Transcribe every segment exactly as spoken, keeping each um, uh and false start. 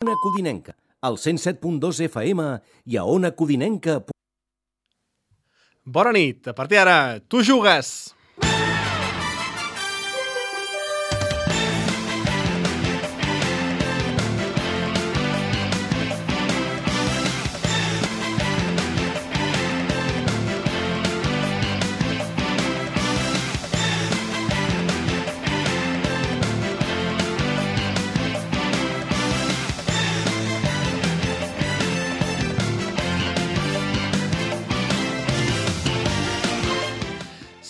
Ona Codinenca, al cent set punt dos F M i a ona codinenca. Bona nit, a partir d'ara, tu jugues!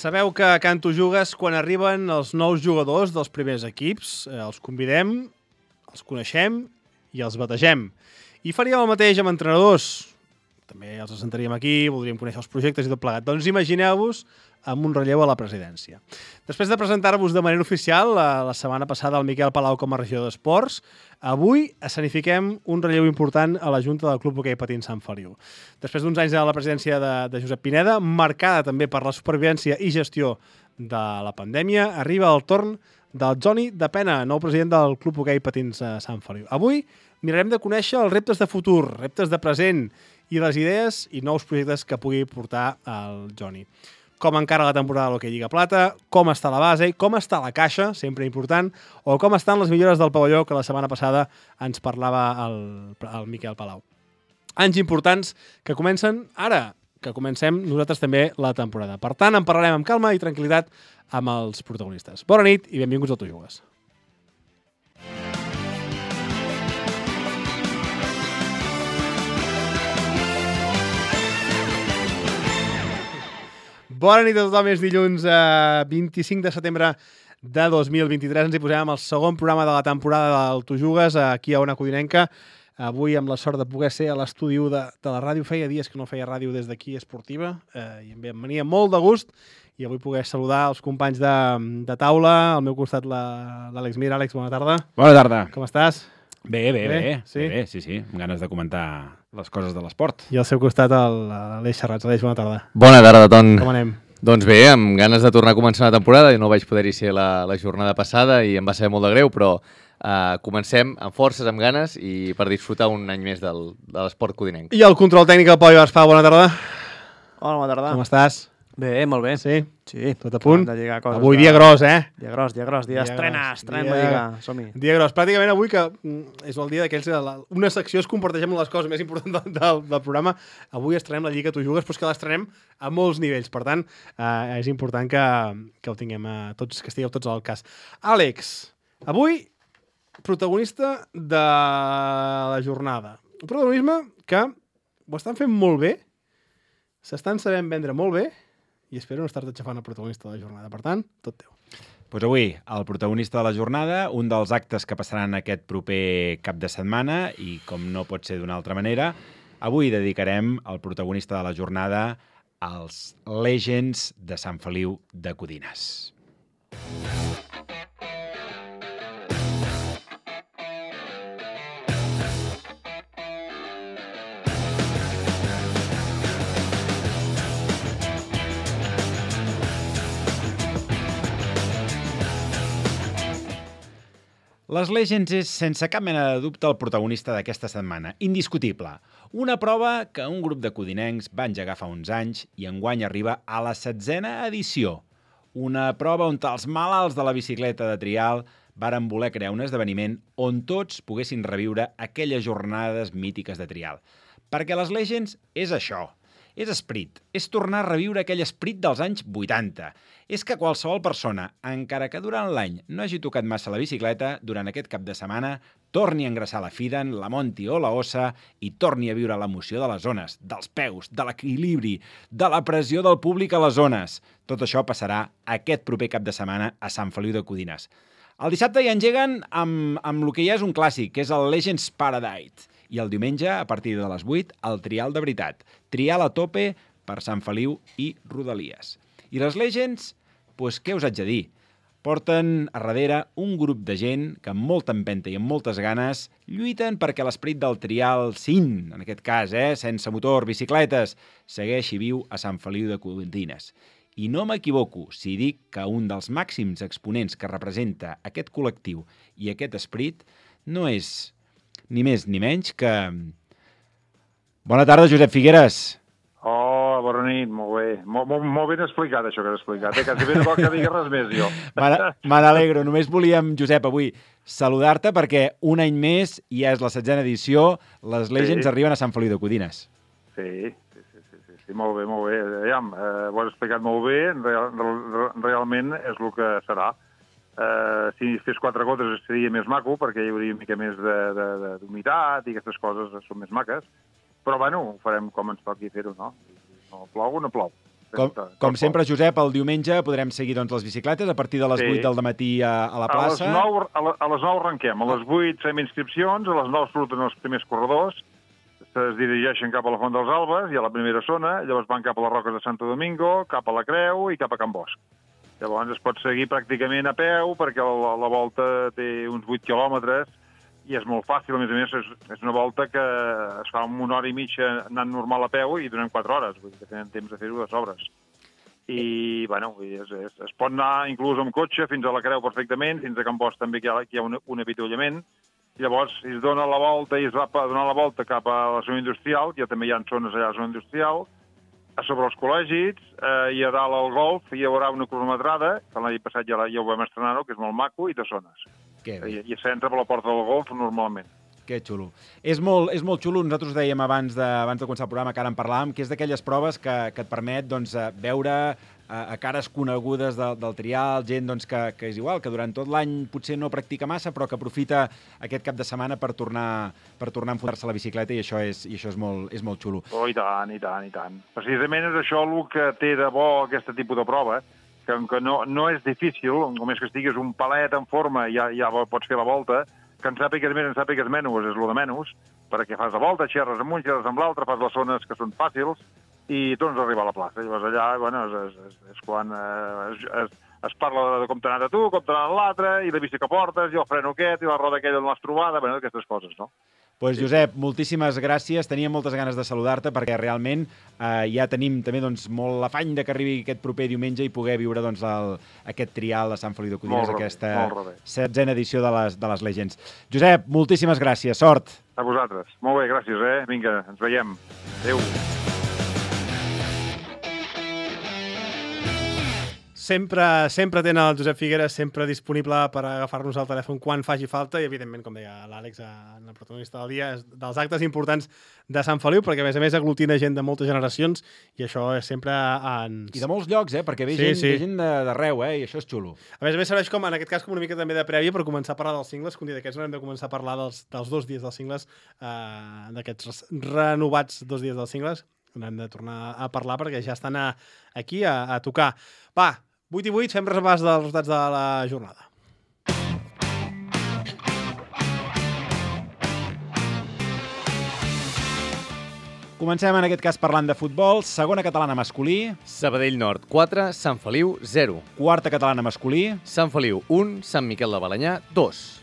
Sabeu que a Can Tu Jugues, quan arriben els nous jugadors dels primers equips, eh, els convidem, els coneixem i els bategem. I faríem el mateix amb entrenadors. També els assentaríem aquí, voldríem conèixer els projectes i tot plegat. Doncs imagineu-vos amb un relleu a la presidència. Després de presentar-vos de manera oficial la, la setmana passada el Miquel Palau com a regidor d'Esports, avui escenifiquem un relleu important a la Junta del Club Hoquei Patins Sant Feliu. Després d'uns anys de la presidència de, de Josep Pineda, marcada també per la supervivència i gestió de la pandèmia, arriba el torn del Joni de Pena, nou president del Club Hoquei Patins Sant Feliu. Avui mirarem de conèixer els reptes de futur, reptes de present i les idees i nous projectes que pugui portar el Joni. Com encara la temporada de l'Hoquei Lliga Plata, com està la base, com està la caixa, sempre important, o com estan les millores del pavelló que la setmana passada ens parlava el, el Miquel Palau. Anys importants que comencen ara, que comencem nosaltres també la temporada. Per tant, en parlarem amb calma i tranquil·litat amb els protagonistes. Bona nit i benvinguts al Tu Jugues. Bona nit a tothom, és dilluns eh, vint-i-cinc de setembre de dos mil vint-i-tres. Ens hi posem amb el segon programa de la temporada del Tu Jugues, aquí a Ona Codinenca. Avui amb la sort de poder ser a l'estudi de, de la ràdio. Feia dies que no feia ràdio des d'aquí esportiva eh, i em venia molt de gust i avui poder saludar els companys de, de taula. Al meu costat l'Àlex Mir. Àlex, bona tarda. Bona tarda. Com estàs? Bé, bé, bé. Bé, sí? Bé, bé, sí, sí. Amb ganes de comentar les coses de l'esport. I al seu costat l'Aleix Serrats. Aleix, bona tarda. Bona tarda, Ton. Com anem? Doncs bé, amb ganes de tornar a començar la temporada. No vaig poder-hi ser la, la jornada passada i em va ser molt de greu, però uh, comencem amb forces, amb ganes i per disfrutar un any més del, de l'esport codinenc. I el control tècnic del Pau Ibarspà, bona tarda. Hola, bona tarda. Com estàs? Bé, molt bé. Sí? Sí. Tot a punt? De lligar coses. Avui de... dia gros, eh? Dia gros, dia gros. Dia estrena, estrena la lliga. Som-hi. Dia gros. Pràcticament avui, que és el dia d'aquells... Una secció es comparteix amb les coses més importants del, del, del programa. Avui estrenem la Lliga Tu Jugues, però és que l'estrenem a molts nivells. Per tant, eh, és important que, que ho tinguem a tots, que estigueu tots al cas. Àlex, avui, protagonista de la jornada. Un protagonisme que ho estan fent molt bé, s'estan sabent vendre molt bé, i espero no estar-te xafant el protagonista de la jornada. Per tant, tot teu. Pues avui, el protagonista de la jornada, un dels actes que passaran aquest proper cap de setmana, i com no pot ser d'una altra manera, avui dedicarem el protagonista de la jornada als Legends de Sant Feliu de Codines. Les Legends és, sense cap mena de dubte, el protagonista d'aquesta setmana. Indiscutible. Una prova que un grup de codinencs va engegar fa uns anys i enguany arriba a la setzena edició. Una prova on els malalts de la bicicleta de trial varen voler crear un esdeveniment on tots poguessin reviure aquelles jornades mítiques de trial. Perquè les Legends és això. És esperit, és tornar a reviure aquell esperit dels anys vuitanta. És que qualsevol persona, encara que durant l'any no hagi tocat massa la bicicleta, durant aquest cap de setmana torni a engraçar la Fidan, la Monti o la Ossa i torni a viure l'emoció de les zones, dels peus, de l'equilibri, de la pressió del públic a les zones. Tot això passarà aquest proper cap de setmana a Sant Feliu de Codines. El dissabte hi engeguen amb, amb el que ja és un clàssic, que és el Legends Paradise. I el diumenge, a partir de les vuit, el trial de veritat. Trial a tope per Sant Feliu i Rodalies. I les Legends, doncs què us haig de dir? Porten a darrere un grup de gent que amb molta empenta i amb moltes ganes lluiten perquè l'esperit del trial cin, en aquest cas, eh, sense motor, bicicletes, segueixi viu a Sant Feliu de Codines. I no m'equivoco si dic que un dels màxims exponents que representa aquest col·lectiu i aquest esperit no és ni més ni menys que... Bona tarda, Josep Figueres. Oh, bona nit, molt bé. Molt, molt, molt ben explicat, això que has explicat. Eh? Quasi bé no cal que digui res més, jo. Me n'alegro. Només volíem, Josep, avui saludar-te perquè un any més, i ja és la setzena edició, les Legends sí. arriben a Sant Feliu de Codines. Sí, sí, sí, sí, sí, sí molt bé, molt bé. Aviam, eh, ho has explicat molt bé, real, real, realment és el que serà. Eh, si fes quatre gotes seria més maco, perquè hi hauria una mica més d'humitat i aquestes coses són més maques. Però, bueno, ho farem com ens toqui fer-ho, no? No plou, no plou. Com, com sempre, Josep, el diumenge podrem seguir doncs, les bicicletes a partir de les sí. vuit del matí a, a la plaça. A les nou, a, la, a les nou arrenquem. A les vuit fem inscripcions, a les nou surten els primers corredors, es dirigeixen cap a la Font dels Albes i a la primera zona, llavors van cap a les Roques de Santo Domingo, cap a la Creu i cap a Can Bosch. Llavors es pot seguir pràcticament a peu perquè la, la volta té uns vuit quilòmetres i és molt fàcil, a més a més és, és una volta que es fa en una hora i mitja anant normal a peu i donem quatre hores, vull dir que tenen temps de fer-ho de sobres. I, bueno, és, és, es pot anar inclús amb cotxe fins a la Creu perfectament, fins a Can Bosch també que hi ha, que hi ha un, un avituallament, i llavors es dona la volta i es va a donar la volta cap a la zona industrial, que també hi ha zones allà a la zona industrial, a sobre els col·legis, eh, i a dalt al golf hi haurà una cronometrada, que l'any passat ja, ja ho vam estrenar-ho, que és molt maco, i de zones. I, i s'entra per la porta del golf normalment. Que xulo. És molt, és molt xulo. Nosaltres dèiem abans de, abans de començar el programa, que ara en parlàvem, que és d'aquelles proves que, que et permet doncs, veure a, a cares conegudes de, del trial, gent doncs, que, que és igual, que durant tot l'any potser no practica massa, però que aprofita aquest cap de setmana per tornar, per tornar a enfundar-se a la bicicleta, i això és, i això és, molt, és molt xulo. Oh, i tant, i tant, i tant. Precisament és això el que té de bo aquest tipus de prova, que, que no, no és difícil, només que estigues un palet en forma i ja, ja pots fer la volta, que en sàpigues més, en sàpigues menys, és el de menys, perquè fas la volta, xerres amb un, xerres amb l'altre, fas les zones que són fàcils i tornes a arribar a la plaça. Llavors allà, bueno, és, és, és quan eh, es, es, es parla de com t'ha anat a tu, com t'ha anat l'altre, i la bici que portes, i el freno aquest, i la roda aquella on l'has trobada, bueno, aquestes coses, no? Doncs, pues, Josep, moltíssimes gràcies. Tenia moltes ganes de saludar-te perquè realment eh, ja tenim també doncs, molt l'afany de que arribi aquest proper diumenge i poder viure doncs, el, aquest trial a Sant Feliu de Codines, aquesta setzena edició de les, de les Legends. Josep, moltíssimes gràcies. Sort. A vosaltres. Molt bé, gràcies. Eh? Vinga, ens veiem. Adéu. Sempre, sempre tenen el Josep Figueres sempre disponible per agafar-nos el telèfon quan faci falta i, evidentment, com deia l'Àlex, en el protagonista del dia, és dels actes importants de Sant Feliu, perquè, a més a més, aglutina gent de moltes generacions i això és sempre... En... I de molts llocs, eh? Perquè ve sí, gent, sí. gent d'arreu, eh? I això és xulo. A més a més, serveix com, en aquest cas, com una mica també de prèvia per començar a parlar dels cingles, que un dia d'aquests no hem de començar a parlar dels, dels dos dies dels cingles, eh, d'aquests renovats dos dies dels cingles, n'hem de tornar a parlar perquè ja estan a, aquí a, a tocar. Va, vuit i vuit, fem repàs dels resultats de la jornada. Comencem en aquest cas parlant de futbol. Segona catalana masculí. Sabadell Nord quatre, Sant Feliu zero. Quarta catalana masculí. Sant Feliu un, Sant Miquel de Balenyà dos.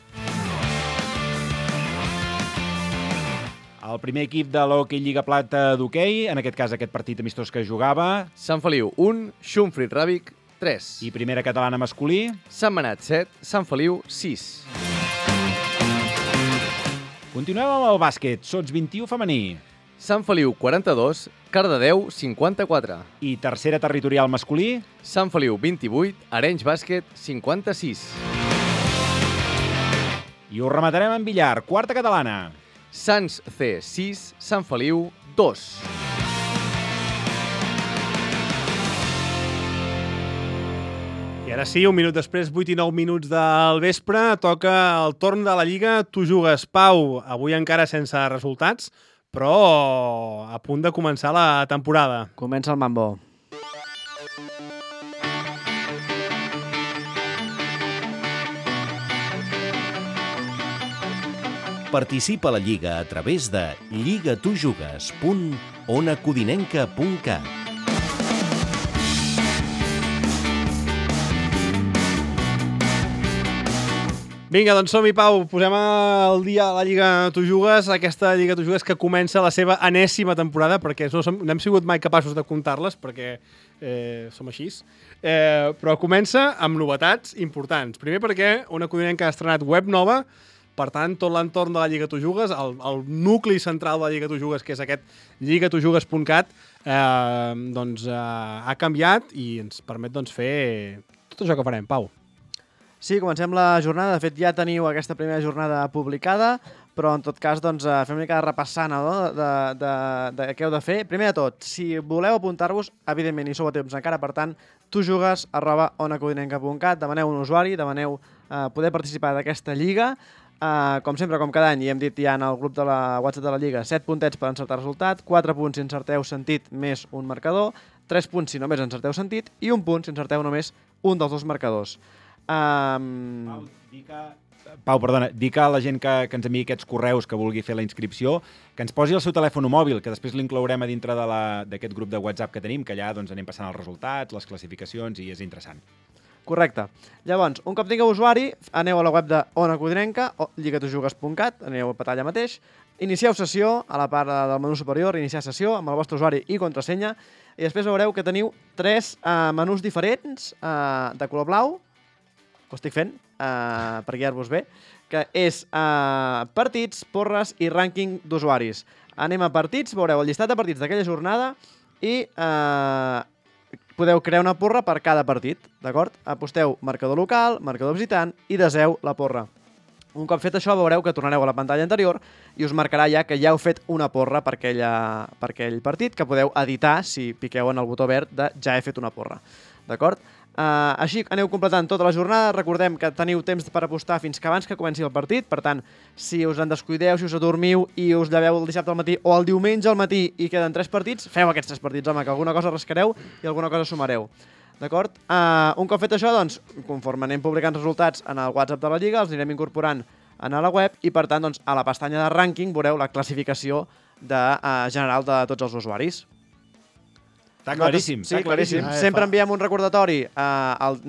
El primer equip de l'Hockey Lliga Plata d'hoquei, en aquest cas aquest partit amistós que jugava. Sant Feliu un, Xumfrit Ràbic tres. I primera catalana masculí. Sant Manat set, Sant Feliu sis. Continuem amb el bàsquet, sots vint-i-u femení. Sant Feliu quaranta-dos, Cardedeu cinquanta-quatre. I tercera territorial masculí. Sant Feliu vint-i-vuit, Arenys Bàsquet cinquanta-sis. I ho rematarem en billar, quarta catalana. Sants C sis, Sant Feliu dos. I ara sí, un minut després, vuit i nou minuts del vespre, toca el torn de la Lliga. Tu jugues, Pau, avui encara sense resultats, però a punt de començar la temporada. Comença el mambo. Participa a la Lliga a través de lligatujugues punt onacodinenca punt cat. Vinga, doncs som-hi, Pau. Posem al dia la Lliga Tu Jugues, aquesta Lliga Tu Jugues que comença la seva enèsima temporada, perquè no, som, no hem sigut mai capaços de comptar-les, perquè eh, som així. Eh, però comença amb novetats importants. Primer perquè una codinenca ha estrenat web nova, Per tant, tot l'entorn de la Lliga Tu Jugues, el, el nucli central de la Lliga Tu Jugues, que és aquest lliga tu jugues punt cat, eh, doncs, eh, ha canviat i ens permet doncs, fer tot això que farem, Pau. Sí, comencem la jornada. De fet, ja teniu aquesta primera jornada publicada, però en tot cas doncs, fem una mica de repassant, no? de, de, de, de què heu de fer. Primer de tot, si voleu apuntar-vos, evidentment hi sou a temps encara, per tant, tujugues arroba onacodinenca punt cat, demaneu un usuari, demaneu eh, poder participar d'aquesta lliga. Uh, com sempre, com cada any, i hem dit ja en el grup de la WhatsApp de la Lliga, set puntets per encertar resultat, quatre punts si encerteu sentit més un marcador, tres punts si només encerteu sentit i un punt si encerteu només un dels dos marcadors. Um... Pau, dir que... Pau, perdona, dir que a la gent que, que ens enviï aquests correus que vulgui fer la inscripció, que ens posi el seu telèfon mòbil, que després l'inclourem a dintre d'aquest grup de WhatsApp que tenim, que allà doncs, anem passant els resultats, les classificacions, i és interessant. Correcte. Llavors, un cop tingueu usuari, aneu a la web de Ona Codinenca, o lliga tu jugues punt cat, aneu a petar allà mateix, inicieu sessió, a la part del menú superior, iniciar sessió amb el vostre usuari i contrasenya, i després veureu que teniu tres uh, menús diferents uh, de color blau, ho estic fent, uh, per guiar-vos bé, que és uh, partits, porres i rànquing d'usuaris. Anem a partits, veureu el llistat de partits d'aquella jornada i... Uh, podeu crear una porra per cada partit, d'acord? Aposteu marcador local, marcador visitant i deseu la porra. Un cop fet això, veureu que tornareu a la pantalla anterior i us marcarà ja que ja heu fet una porra per, aquella, per aquell partit, que podeu editar si piqueu en el botó verd de ja he fet una porra, d'acord? Uh, així aneu completant tota la jornada. Recordem que teniu temps per apostar fins que abans que comenci el partit. Per tant, si us en descuideu, si us adormiu i us lleveu el dissabte al matí o el diumenge al matí i queden tres partits, feu aquests tres partits, home, que alguna cosa rascareu i alguna cosa sumareu. D'acord? Uh, un cop fet això, doncs, conforme anem publicant resultats en el WhatsApp de la Lliga, els anirem incorporant a la web i, per tant, doncs, a la pestanya de rànquing veureu la classificació de, uh, general de tots els usuaris. Està claríssim. Sí, està claríssim. Ah, Sempre fa... enviem un recordatori. Uh, el,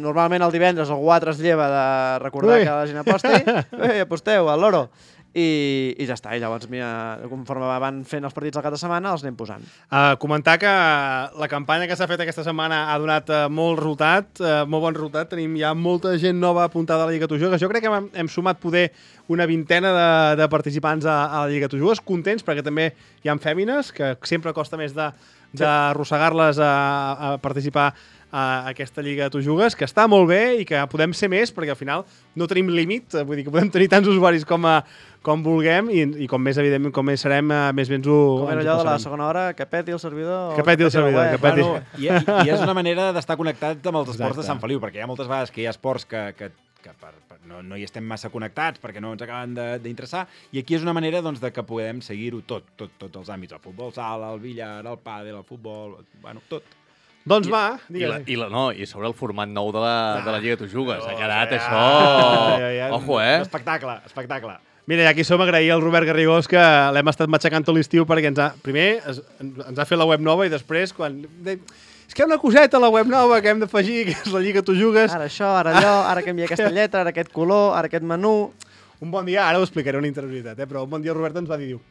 normalment el divendres algú altre es lleva de recordar Ui. que la gent aposti. Ui, aposteu, al loro. I, i ja està. I llavors, mira, conforme van fent els partits al cap de setmana, els anem posant. Uh, comentar que la campanya que s'ha fet aquesta setmana ha donat uh, molt resultat, uh, molt bon resultat. Tenim ja molta gent nova apuntada a la Lliga Tu Jugues. Jo crec que hem, hem sumat poder una vintena de, de participants a, a la Lliga Tu Jugues. Contents, perquè també hi ha fèmines, que sempre costa més de d'arrossegar-les a, a participar a aquesta Lliga Tu Jugues, que està molt bé i que podem ser més, perquè al final no tenim límit, vull dir que podem tenir tants usuaris com, a, com vulguem i, i com més, evidentment, com més serem, més bé ens ho Com era allò de la segona hora, que peti el servidor... Que peti el servidor, que peti. Bueno, i, I és una manera d'estar connectat amb els esports Exacte. de Sant Feliu, perquè hi ha moltes vegades que hi ha esports que, que, que per, per, no, no hi estem massa connectats perquè no ens acaben d'interessar, i aquí és una manera doncs, de que podem seguir-ho tot, tot, tots els àmbits, el futbol sala, el billar, el pàdel, el futbol, bueno, tot. Doncs I, va, i, la, digues. i, la, no, i sobre el format nou de la, de la Lliga Tu Jugues. Oh, ha quedat ja, això... ja, ja. Ojo, eh? Espectacle, espectacle. Mira, i aquí som agrair al Robert Garrigós que l'hem estat matxacant tot l'estiu perquè ens ha, primer es, ens ha fet la web nova i després quan... De, és que hi ha una coseta a la web nova que hem d'afegir, que és la Lliga Tu Jugues. Ara això, ara allò, ara canvia aquesta lletra, ara aquest color, ara aquest menú... Un bon dia, ara ho explicaré una interioritat, eh? Però un bon dia el Robert ens va dir, diu,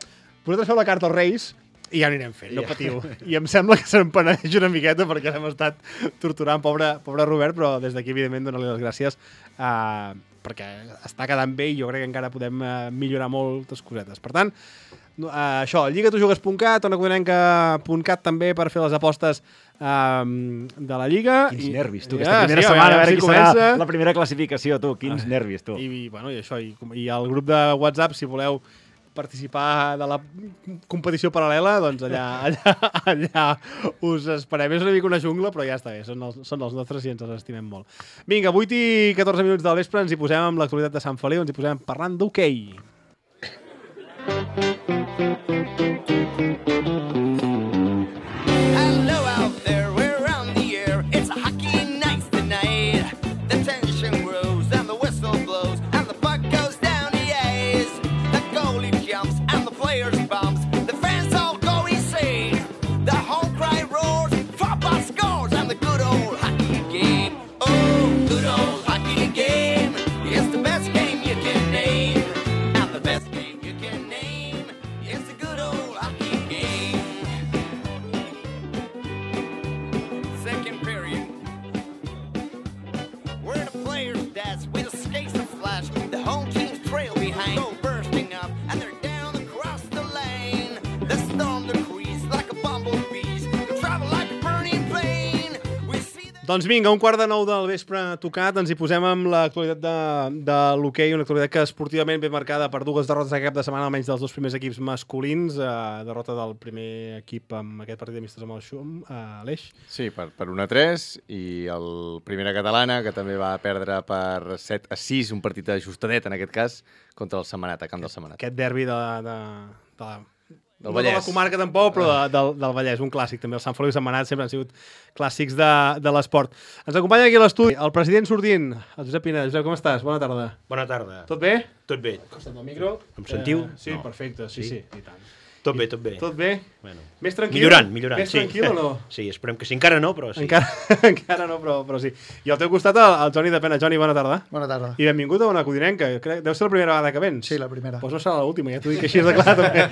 vosaltres feu la carta als Reis i ja anirem fent, no patiu. I em sembla que se'n penedeix una miqueta perquè l'hem estat torturant, pobre, pobre Robert, però des d'aquí, evidentment, donar-li les gràcies uh, perquè està quedant bé i jo crec que encara podem uh, millorar moltes cosetes. Per tant, uh, això, lliga tu jugues punt cat, onacodinenca punt cat també per fer les apostes um, de la Lliga. Quins I, nervis, tu, ja, aquesta primera sí, setmana, a veure si qui comença. serà la primera classificació, tu, quins ah. nervis, tu. I, bueno, i això, i, i el grup de WhatsApp, si voleu participar de la competició paral·lela, doncs allà, allà, allà us esperem. És una mica una jungla, però ja està bé, són els, són els nostres i ens els estimem molt. Vinga, vuit i catorze minuts del vespre ens hi posem amb l'actualitat de Sant Feliu, ens hi posem parlant d'hoquei. Hello out there, we're around the air. It's a hockey night tonight. The tension grows and the whistle blows and the puck goes down the ice. The goalie jumps and the players bumps. The fans all go insane. The home cry roars, football scores and the good old hockey game. Oh, good old hockey game. It's the best game you can name. And the best game you can name is the good old hockey game. Doncs vinga, un quart de nou del vespre tocat, ens hi posem amb l'actualitat de, de l'hoquei, una actualitat que esportivament ve marcada per dues derrotes de cap de setmana, almenys dels dos primers equips masculins, eh, derrota del primer equip amb aquest partit amistos amb el Xum, a l'Eix. Sí, per, per un a tres, i el Primera Catalana, que també va perdre per set a sis, un partit ajustadet en aquest cas, contra el Sentmenat, a camp del Sentmenat. Aquest derbi de, de, de, Del no de la Vallès. comarca tampoc, però de, del, del Vallès, un clàssic també. El Sant Feliu i Sentmenat sempre han sigut clàssics de, de l'esport. Ens acompanya aquí a l'estudi el president sortint, el Josep Pina. Josep, com estàs? Bona tarda. Bona tarda. Tot bé? Tot bé. Acostem el micro. Em sentiu? Eh, sí, No. perfecte, sí, sí, Sí? i tant. Tot bé, tot bé. Tot bé? Bueno. Més tranquil? Millorant, millorant. Més sí. tranquil o no? Sí, esperem que sí. Encara no, però sí. Encara, encara no, però, però sí. I al teu costat el, el Joni de Pena. Joni, bona tarda. Bona tarda. I benvingut a una Codinenca. Crec, deu ser la primera vegada que vens. Sí, la primera. Pues no serà l'última, ja t'ho dic així de clar, també.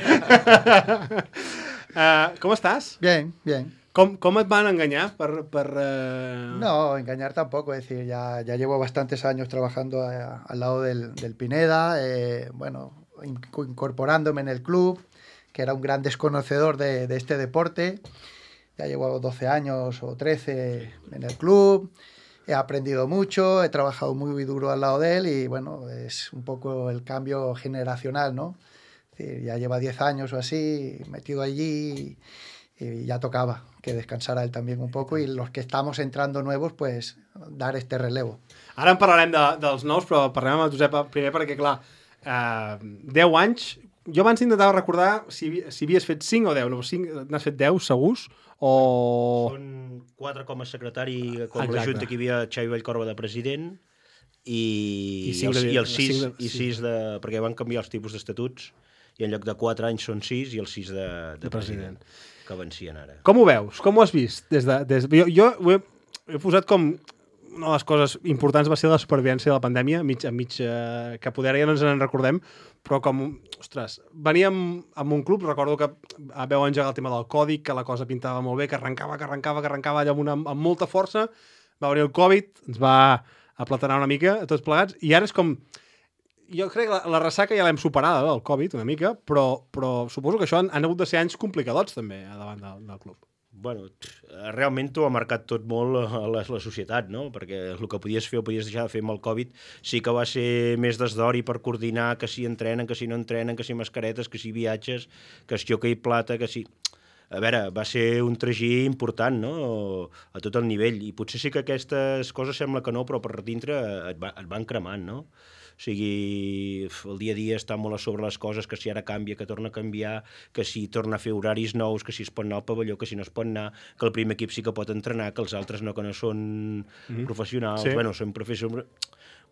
uh, com estàs? Bien, bien. Com, com et van enganyar per... per uh... No, engañar tampoco, es decir, ya, ya llevo bastantes años trabajando a- al lado del, del Pineda, eh, bueno, in- incorporándome en el club, que era un gran desconocedor de, de este deporte. Ya llevo doce años o trece en el club, he aprendido mucho, he trabajado muy duro al lado de él y bueno, es un poco el cambio generacional, ¿no? Es decir, ya lleva diez años o así metido allí y, y ya tocaba que descansara él también un poco y los que estamos entrando nuevos, pues dar este relevo. Ara en parlarem de, dels nous, però parlem amb el Josep primer perquè, clar, uh, deu anys... Jo abans intentava recordar si, havi- si havies fet cinc o deu. No, cinc, n'has fet deu, segurs? O... Són quatre com a secretari, com Exacte. la junta que hi havia Xavi Vallcorba de president, i, I I, cinc els, de- i els sis, cinc de- i sis de, perquè van canviar els tipus d'estatuts, i en lloc de quatre anys són sis, i els sis de, de, De president. president, que vencien ara. Com ho veus? Com ho has vist? Des de, des... Jo, jo ho he, he posat com... Una de les coses importants va ser la supervivència de la pandèmia, mig, a mig, eh, que poder ja no ens en recordem, però com, ostres, veníem amb un club, recordo que veu engegar el tema del còdic, que la cosa pintava molt bé, que arrencava, que arrencava, que arrencava allà amb, una, amb molta força, va venir el Covid, ens va aplatanar una mica a tots plegats, i ara és com... Jo crec que la, la ressaca ja l'hem superada, del Covid, una mica, però, però suposo que això han, han hagut de ser anys complicadots, també, a davant del, del club. Bueno, realment t'ho ha marcat tot molt a la, la societat, no? Perquè el que podies fer o podies deixar de fer amb el Covid sí que va ser més desdori per coordinar que si entrenen, que si no entrenen, que si mascaretes, que si viatges, que si hoquei plata, que si... A veure, va ser un tragí important, no?, a tot el nivell. I potser sí que aquestes coses sembla que no, però per dintre et, va, et van cremant, no? O sigui, el dia a dia està molt a sobre les coses, que si ara canvia, que torna a canviar, que si torna a fer horaris nous, que si es pot anar al pavelló, que si no es pot anar, que el primer equip sí que pot entrenar, que els altres no, que no són mm-hmm. professionals, Sí. sí. Bueno, són professionals...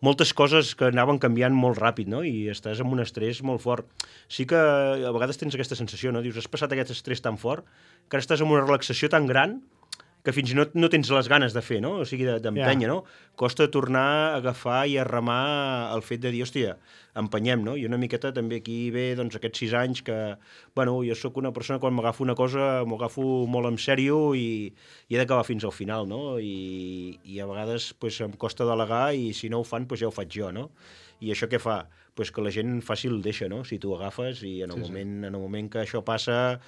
Moltes coses que anaven canviant molt ràpid, no? I estàs amb un estrès molt fort. Sí que a vegades tens aquesta sensació, no? Dius, has passat aquest estrès tan fort que ara estàs amb una relaxació tan gran que fins i tot no tens les ganes de fer, no? O sigui, d'empènyer, Ja. no? Costa tornar a agafar i a remar el fet de dir, hòstia, empenyem, no? I una miqueta també aquí ve, doncs, aquests sis anys que, bueno, jo sóc una persona quan m'agafo una cosa, m'ho agafo molt en sèrio i, i he d'acabar fins al final, no? I, i a vegades, pues, em costa delegar i si no ho fan, pues, ja ho faig jo, no? I això què fa? Pues que la gent fàcil deixa, no? Si tu ho agafes i en el, sí, moment, sí. en el moment que això passa,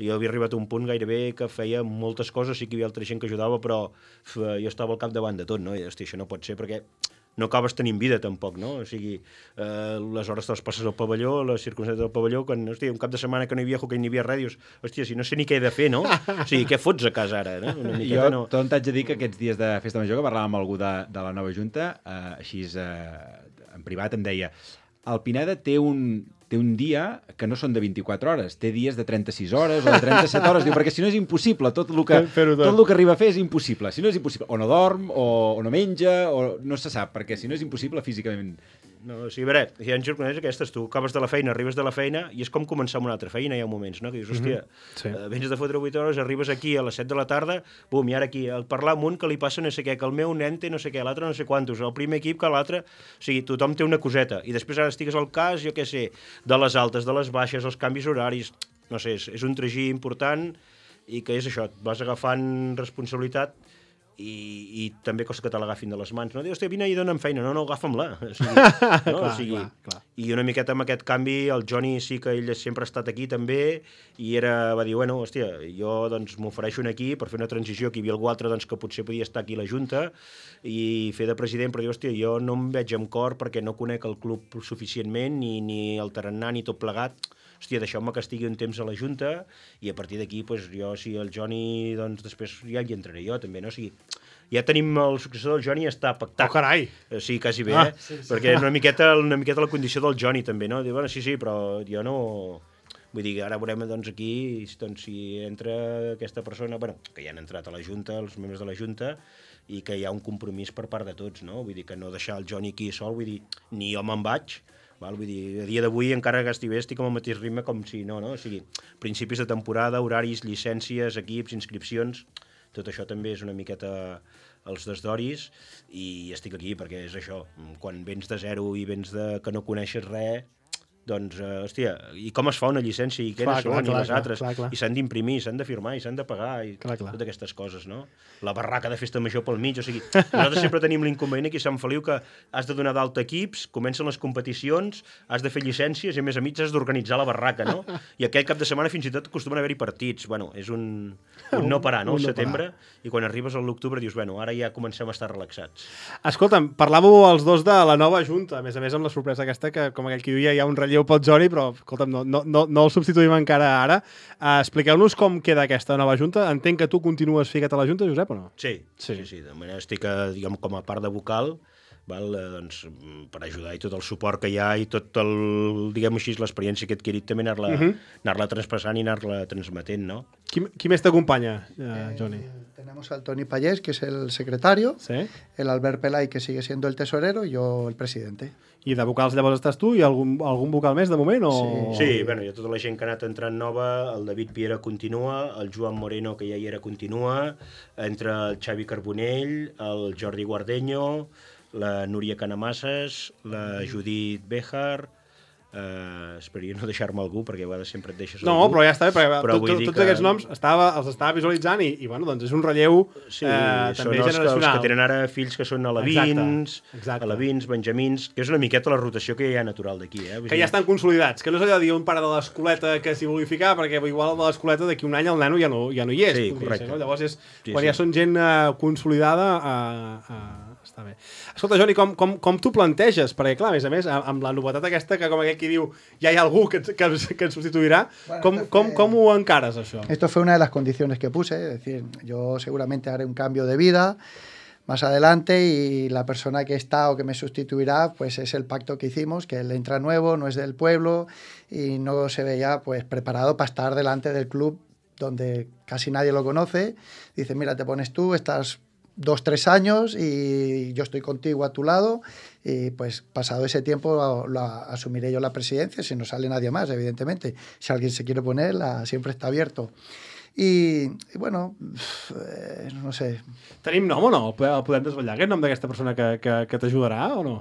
jo havia arribat a un punt gairebé que feia moltes coses, sí que hi havia altra gent que ajudava, però uf, jo estava al capdavant de tot, no? I, hosti, això no pot ser perquè no acabes tenint vida tampoc, no? O sigui, eh, les hores te les passes al pavelló, les circumstàncies del pavelló, quan, hosti, un cap de setmana que no hi havia hoquei ni hi havia res, dius, hòstia, si no sé ni què he de fer, no? O sigui, què fots a casa ara, no? Una miqueta, Jo no? tot t'haig de dir que aquests dies de festa major que parlàvem amb algú de, de la nova junta, eh, així eh, en privat em deia el Pineda té un, té un dia que no són de vint-i-quatre hores, té dies de trenta-sis hores o de trenta-set hores, diu, perquè si no és impossible, tot el que, Fer-ho tot. tot el que arriba a fer és impossible, si no és impossible, o no dorm, o, o no menja, o no se sap, perquè si no és impossible físicament. No, o sigui, a veure, hi ha jornades aquestes, tu acabes de la feina, arribes de la feina, i és com començar amb una altra feina, hi ha moments, no?, que dius, hòstia, Sí. eh, vens de fotre vuit hores, arribes aquí a les set de la tarda, bum, i ara aquí, al parlar amb un que li passa no sé què, que el meu nen té no sé què, l'altre no sé quantos, el primer equip que l'altre, o sigui, tothom té una coseta, i després ara estigues al cas, jo què sé, de les altes, de les baixes, els canvis horaris, no sé, és, és un tragí important, i que és això, et vas agafant responsabilitat, i, i també costa que te l'agafin de les mans, no? Diu, hòstia, vine i dona'm feina, no, no, agafa'm-la. O sigui, no? Clar, o sigui, clar, clar. I una miqueta amb aquest canvi, el Johnny sí que ell sempre ha estat aquí també, i era, va dir, bueno, hòstia, jo doncs m'ofereixo aquí per fer una transició, que hi havia algú altre doncs, que potser podia estar aquí a la Junta i fer de president, però diu, hòstia, jo no em veig amb cor perquè no conec el club suficientment, ni, ni el tarannà, ni tot plegat. Hòstia, deixeu-me que estigui un temps a la Junta i a partir d'aquí, doncs, jo, si el Johnny, doncs després ja hi entraré jo, també, no? O sigui, ja tenim el successor del Johnny, està pactat. Oh, carai! Eh, sí, quasi bé, Ah, eh? sí, sí. Perquè una miqueta, una miqueta la condició del Johnny, també, no? Diu, bueno, sí, sí, però jo no... Vull dir, ara veurem, doncs, aquí, doncs, si entra aquesta persona, bueno, que ja han entrat a la Junta, els membres de la Junta, i que hi ha un compromís per part de tots, no? Vull dir, que no deixar el Johnny aquí sol, vull dir, ni jo me'n vaig, val? Vull dir, a dia d'avui, encara que estigui bé, estic amb el mateix ritme com si no, no? O sigui, principis de temporada, horaris, llicències, equips, inscripcions, tot això també és una miqueta els desdoris, i estic aquí perquè és això, quan vens de zero i vens de que no coneixes res, doncs, uh, hòstia, i com es fa una llicència, i què Clar, són, clar, i clar, les clar, altres, clar, clar. i s'han d'imprimir, s'han de firmar, i s'han de pagar, i Clar, clar. totes aquestes coses, no? La barraca de festa major pel mig, o sigui, nosaltres sempre tenim l'inconvenient aquí a Sant Feliu que has de donar d'alta equips, comencen les competicions, has de fer llicències, i a més a mig has d'organitzar la barraca, no? I aquell cap de setmana fins i tot acostumen a haver-hi partits, bueno, és un, un no parar, no? Un El no setembre, i quan arribes a l'octubre dius, bueno, ara ja comencem a estar relaxats. Escolta'm, parlàveu els dos de la nova Junta, a més a més amb la sorpresa aquesta que, com aquell que diu, ja hi ha un relleu pel Johnny, però, escolta'm, no, no, no, no el substituïm encara ara. Uh, expliqueu-nos com queda aquesta nova Junta. Entenc que tu continues ficat a la Junta, Josep, o no? Sí, sí, sí, sí. De manera estic, a, diguem, com a part de vocal, val, eh, doncs, per ajudar i tot el suport que hi ha i tot el, diguem així, l'experiència que he adquirit també anar-la uh -huh. anar-la traspassant i anar-la transmetent, no? Qui, qui més t'acompanya, uh, Johnny? Eh, tenemos al Toni Pallés, que es el secretario, Sí? el Albert Pelay, que sigue siendo el tesorero, y yo el presidente. I de vocals llavors estàs tu i algun, algun vocal més de moment? O... Sí, bueno, hi ha tota la gent que ha anat entrant nova, el David Piera continua, el Joan Moreno, que ja hi era, continua, entra el Xavi Carbonell, el Jordi Guardeño, la Núria Canamasses, la Judit Béjar, eh, esperaria no deixar-me algú, perquè a vegades sempre et deixes No, algú. però ja està bé, perquè Però tot, vull tot, dir tots que- aquests noms estava, els estava visualitzant i, i bueno, doncs és un relleu Sí, eh, són també els que, els generacional. que tenen ara fills que són alevins, Exacte, exacte. alevins, benjamins, que és una miqueta la rotació que hi ha natural d'aquí. Eh? Vull Que dir, ja estan consolidats, que no és allò de dir un pare de l'escoleta que s'hi vulgui ficar, perquè igual el de l'escoleta d'aquí un any el nano ja no, ja no hi és. Sí, podria correcte. ser, no? Llavors, és, Sí, quan sí. ja són gent eh, consolidada, eh, eh, està bé. Escolta, Johnny, com, com, com t'ho planteges? Perquè, clar, a més a més, amb la novetat aquesta, que com aquell qui diu ja hi ha algú que, ens- que, ens- que ens substituirà, Bueno, com, esto com, fue- com ho encares, això? Esto fue una de las condiciones que puse, es decir, yo seguramente haré un cambio de vida más adelante y la persona que está o que me sustituirá, pues es el pacto que hicimos, que él entra nuevo, no es del pueblo y no se veía pues preparado para estar delante del club donde casi nadie lo conoce. Dice, mira, te pones tú, estás dos, tres años y yo estoy contigo a tu lado y pues pasado ese tiempo lo, lo asumiré yo la presidencia si no sale nadie más, evidentemente. Si alguien se quiere poner, la, siempre está abierto. I, i bueno, eh, no sé. Tenim nom o no? El podem desvetllar, aquest nom d'aquesta persona que, que, que t'ajudarà o no?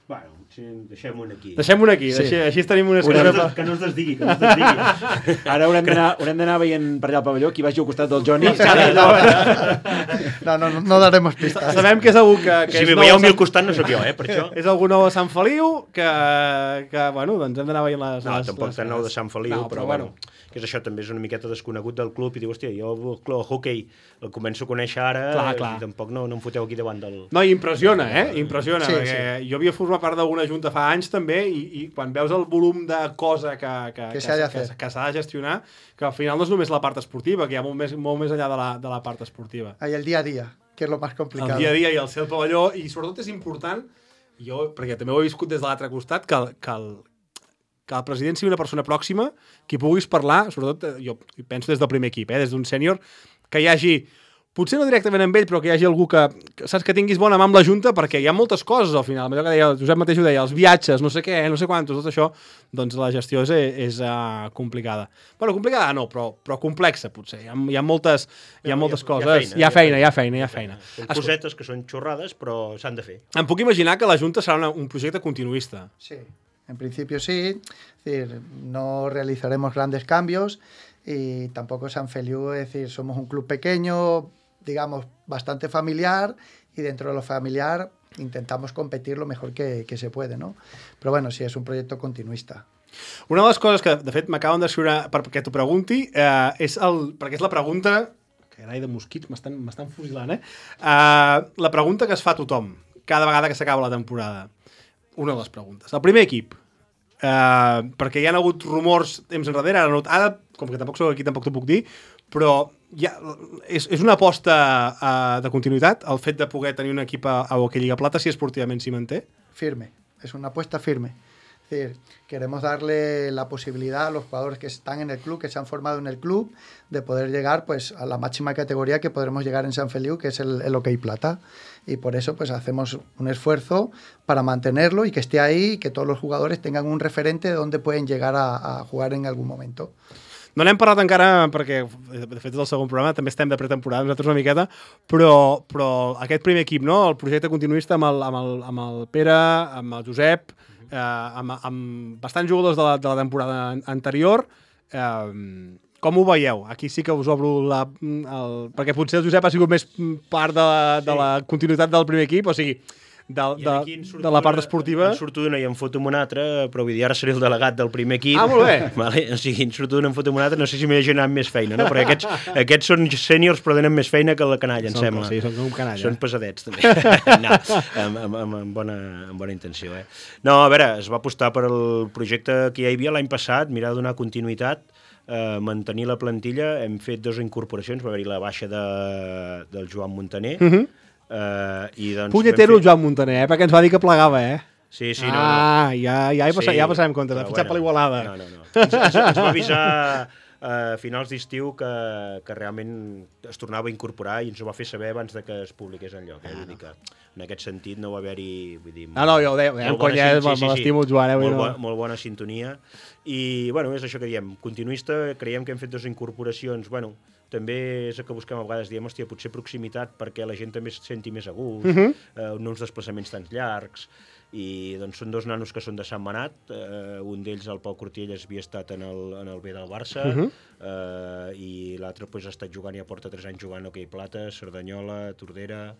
Bueno, sí, deixem-ho aquí. Deixem-ho aquí, Sí. així, així tenim una Que no, escala. es, que no es desdigui, que no es desdigui. Ara haurem d'anar haurem d'anar veient per allà al pavelló qui vagi al costat del Johnny. No, no, no, no daremos pistas. Sabem que és algú que, que Si és m'hi nou veieu a a mi al Sant- costat no sóc jo, eh, per això. és algú nou a Sant Feliu que, que bueno, doncs hem d'anar veient les... No, les, tampoc les tan nou de Sant Feliu, No, però, bueno, que és això, també és una miqueta desconegut del club i diu, hòstia, jo el, el hockey el començo a conèixer ara Clar, clar. i tampoc no, no em foteu aquí davant del... No, i impressiona, eh? Impressiona, Sí, perquè jo havia format part d'alguna junta fa anys també i, i quan veus el volum de cosa que, que, Que s'ha de que, fer. que s'ha de gestionar, que al final no és només la part esportiva, que hi ha molt més, molt més enllà de la, de la part esportiva. Hay el día a día, que es lo más El complicado. dia a dia i el ser al pavelló, i sobretot és important, jo, perquè també ho he viscut des de l'altre costat, que, el, que, el, que el president sigui una persona pròxima, qui puguis parlar, sobretot, eh, jo penso des del primer equip, eh, des d'un sènior, que hi hagi, potser no directament amb ell, però que hi hagi algú que, que saps que tinguis bona mà amb la Junta, perquè hi ha moltes coses al final, allò que deia, el Josep mateix ho deia, els viatges, no sé què, no sé quantos, tot això, doncs la gestió és, és uh, complicada. Bueno, complicada no, però, però complexa, potser. Hi ha, hi ha moltes, hi ha moltes coses. Hi ha feina, hi ha feina, hi ha feina. Són cosetes que són xorrades, però s'han de fer. Em puc imaginar que la Junta serà una, un projecte continuista. Sí, en principio sí. Es decir, no realizaremos grandes cambios y tampoco San Feliu, es decir, somos un club pequeño, digamos, bastante familiar y dentro de lo familiar intentamos competir lo mejor que, que se puede, ¿no? Però bueno, sí, és un projecte continuista. Una de les coses que, de fet, m'acaben d'escriure perquè t'ho pregunti, eh, és el, perquè és la pregunta... Carai de mosquits, m'estan fusilant, eh? Uh, la pregunta que es fa a tothom, cada vegada que s'acaba la temporada. Una de les preguntes. El primer equip, uh, perquè hi ha hagut rumors temps enrere, ara, no, ara com que tampoc soc aquí, tampoc t'ho puc dir, però ja, és, és una aposta uh, de continuïtat, el fet de poder tenir un equip a, a Hockey Lliga Plata, si esportivament s'hi manté? Firme, es una apuesta firme. Es decir, queremos darle la posibilidad a los jugadores que están en el club, que se han formado en el club, de poder llegar pues a la máxima categoría que podremos llegar en Sant Feliu, que es el, el Hockey Plata. Y por eso pues hacemos un esfuerzo para mantenerlo y que esté ahí y que todos los jugadores tengan un referente de donde pueden llegar a, a jugar en algún momento. No n'hem parlat encara, perquè de fet és el segon programa, també estem de pretemporada nosaltres una miqueta, però, però aquest primer equip, no? El projecte continuista amb el, amb el, amb el Pere, amb el Josep, eh, amb, amb bastants jugadors de la, de la temporada anterior, eh, com ho veieu? Aquí sí que us obro la... El, perquè potser el Josep ha sigut més part de la, de la continuïtat del primer equip, o sigui, de, de, de la part esportiva. En surto d'una i em foto amb una altra, però vull dir, ara seré el delegat del primer equip. Ah, molt bé. Vale? O sigui, en surto d'una em foto amb una altra, no sé si m'he generat més feina, no? Perquè aquests, aquests són sèniors però tenen més feina que la canalla, em són, sembla. Sí, són com canalla. Són pesadets, també. No, amb, amb, amb, amb, bona, amb bona intenció, eh? No, a veure, es va apostar per el projecte que ja hi havia l'any passat, mirar de donar continuïtat, eh, mantenir la plantilla, hem fet dues incorporacions, va haver-hi la baixa de, del Joan Montaner, uh -huh. Uh, i doncs punyetero el Joan Montaner, eh? Perquè ens va dir que plegava, eh? Sí, sí, no, ah, no. ja, ja, hi passa, sí, ja passarem comptes, ha fitxat bueno, per l'Igualada. No, no, no. Ens, ens, ens va avisar a finals d'estiu que, que realment es tornava a incorporar i ens ho va fer saber abans de que es publiqués enlloc. Eh? Vull dir que en aquest sentit no va haver-hi... Vull dir, no, no, jo ho deia, deia conya, sí, sí, me l'estimo, Joan. Eh? Molt, no. bo, molt bona sintonia. I, bueno, és això que diem. Continuista, creiem que hem fet dues incorporacions, bueno, també és el que busquem a vegades, diem, hòstia, potser proximitat perquè la gent també es senti més a gust, uh -huh. eh, no uns desplaçaments tan llargs, i doncs són dos nanos que són de Sant Manat, eh, un d'ells, el Pau Cortielles, havia estat en el, en el B del Barça, uh -huh. eh, i l'altre pues, ha estat jugant, ja porta tres anys jugant hoquei plata, Cerdanyola, Tordera.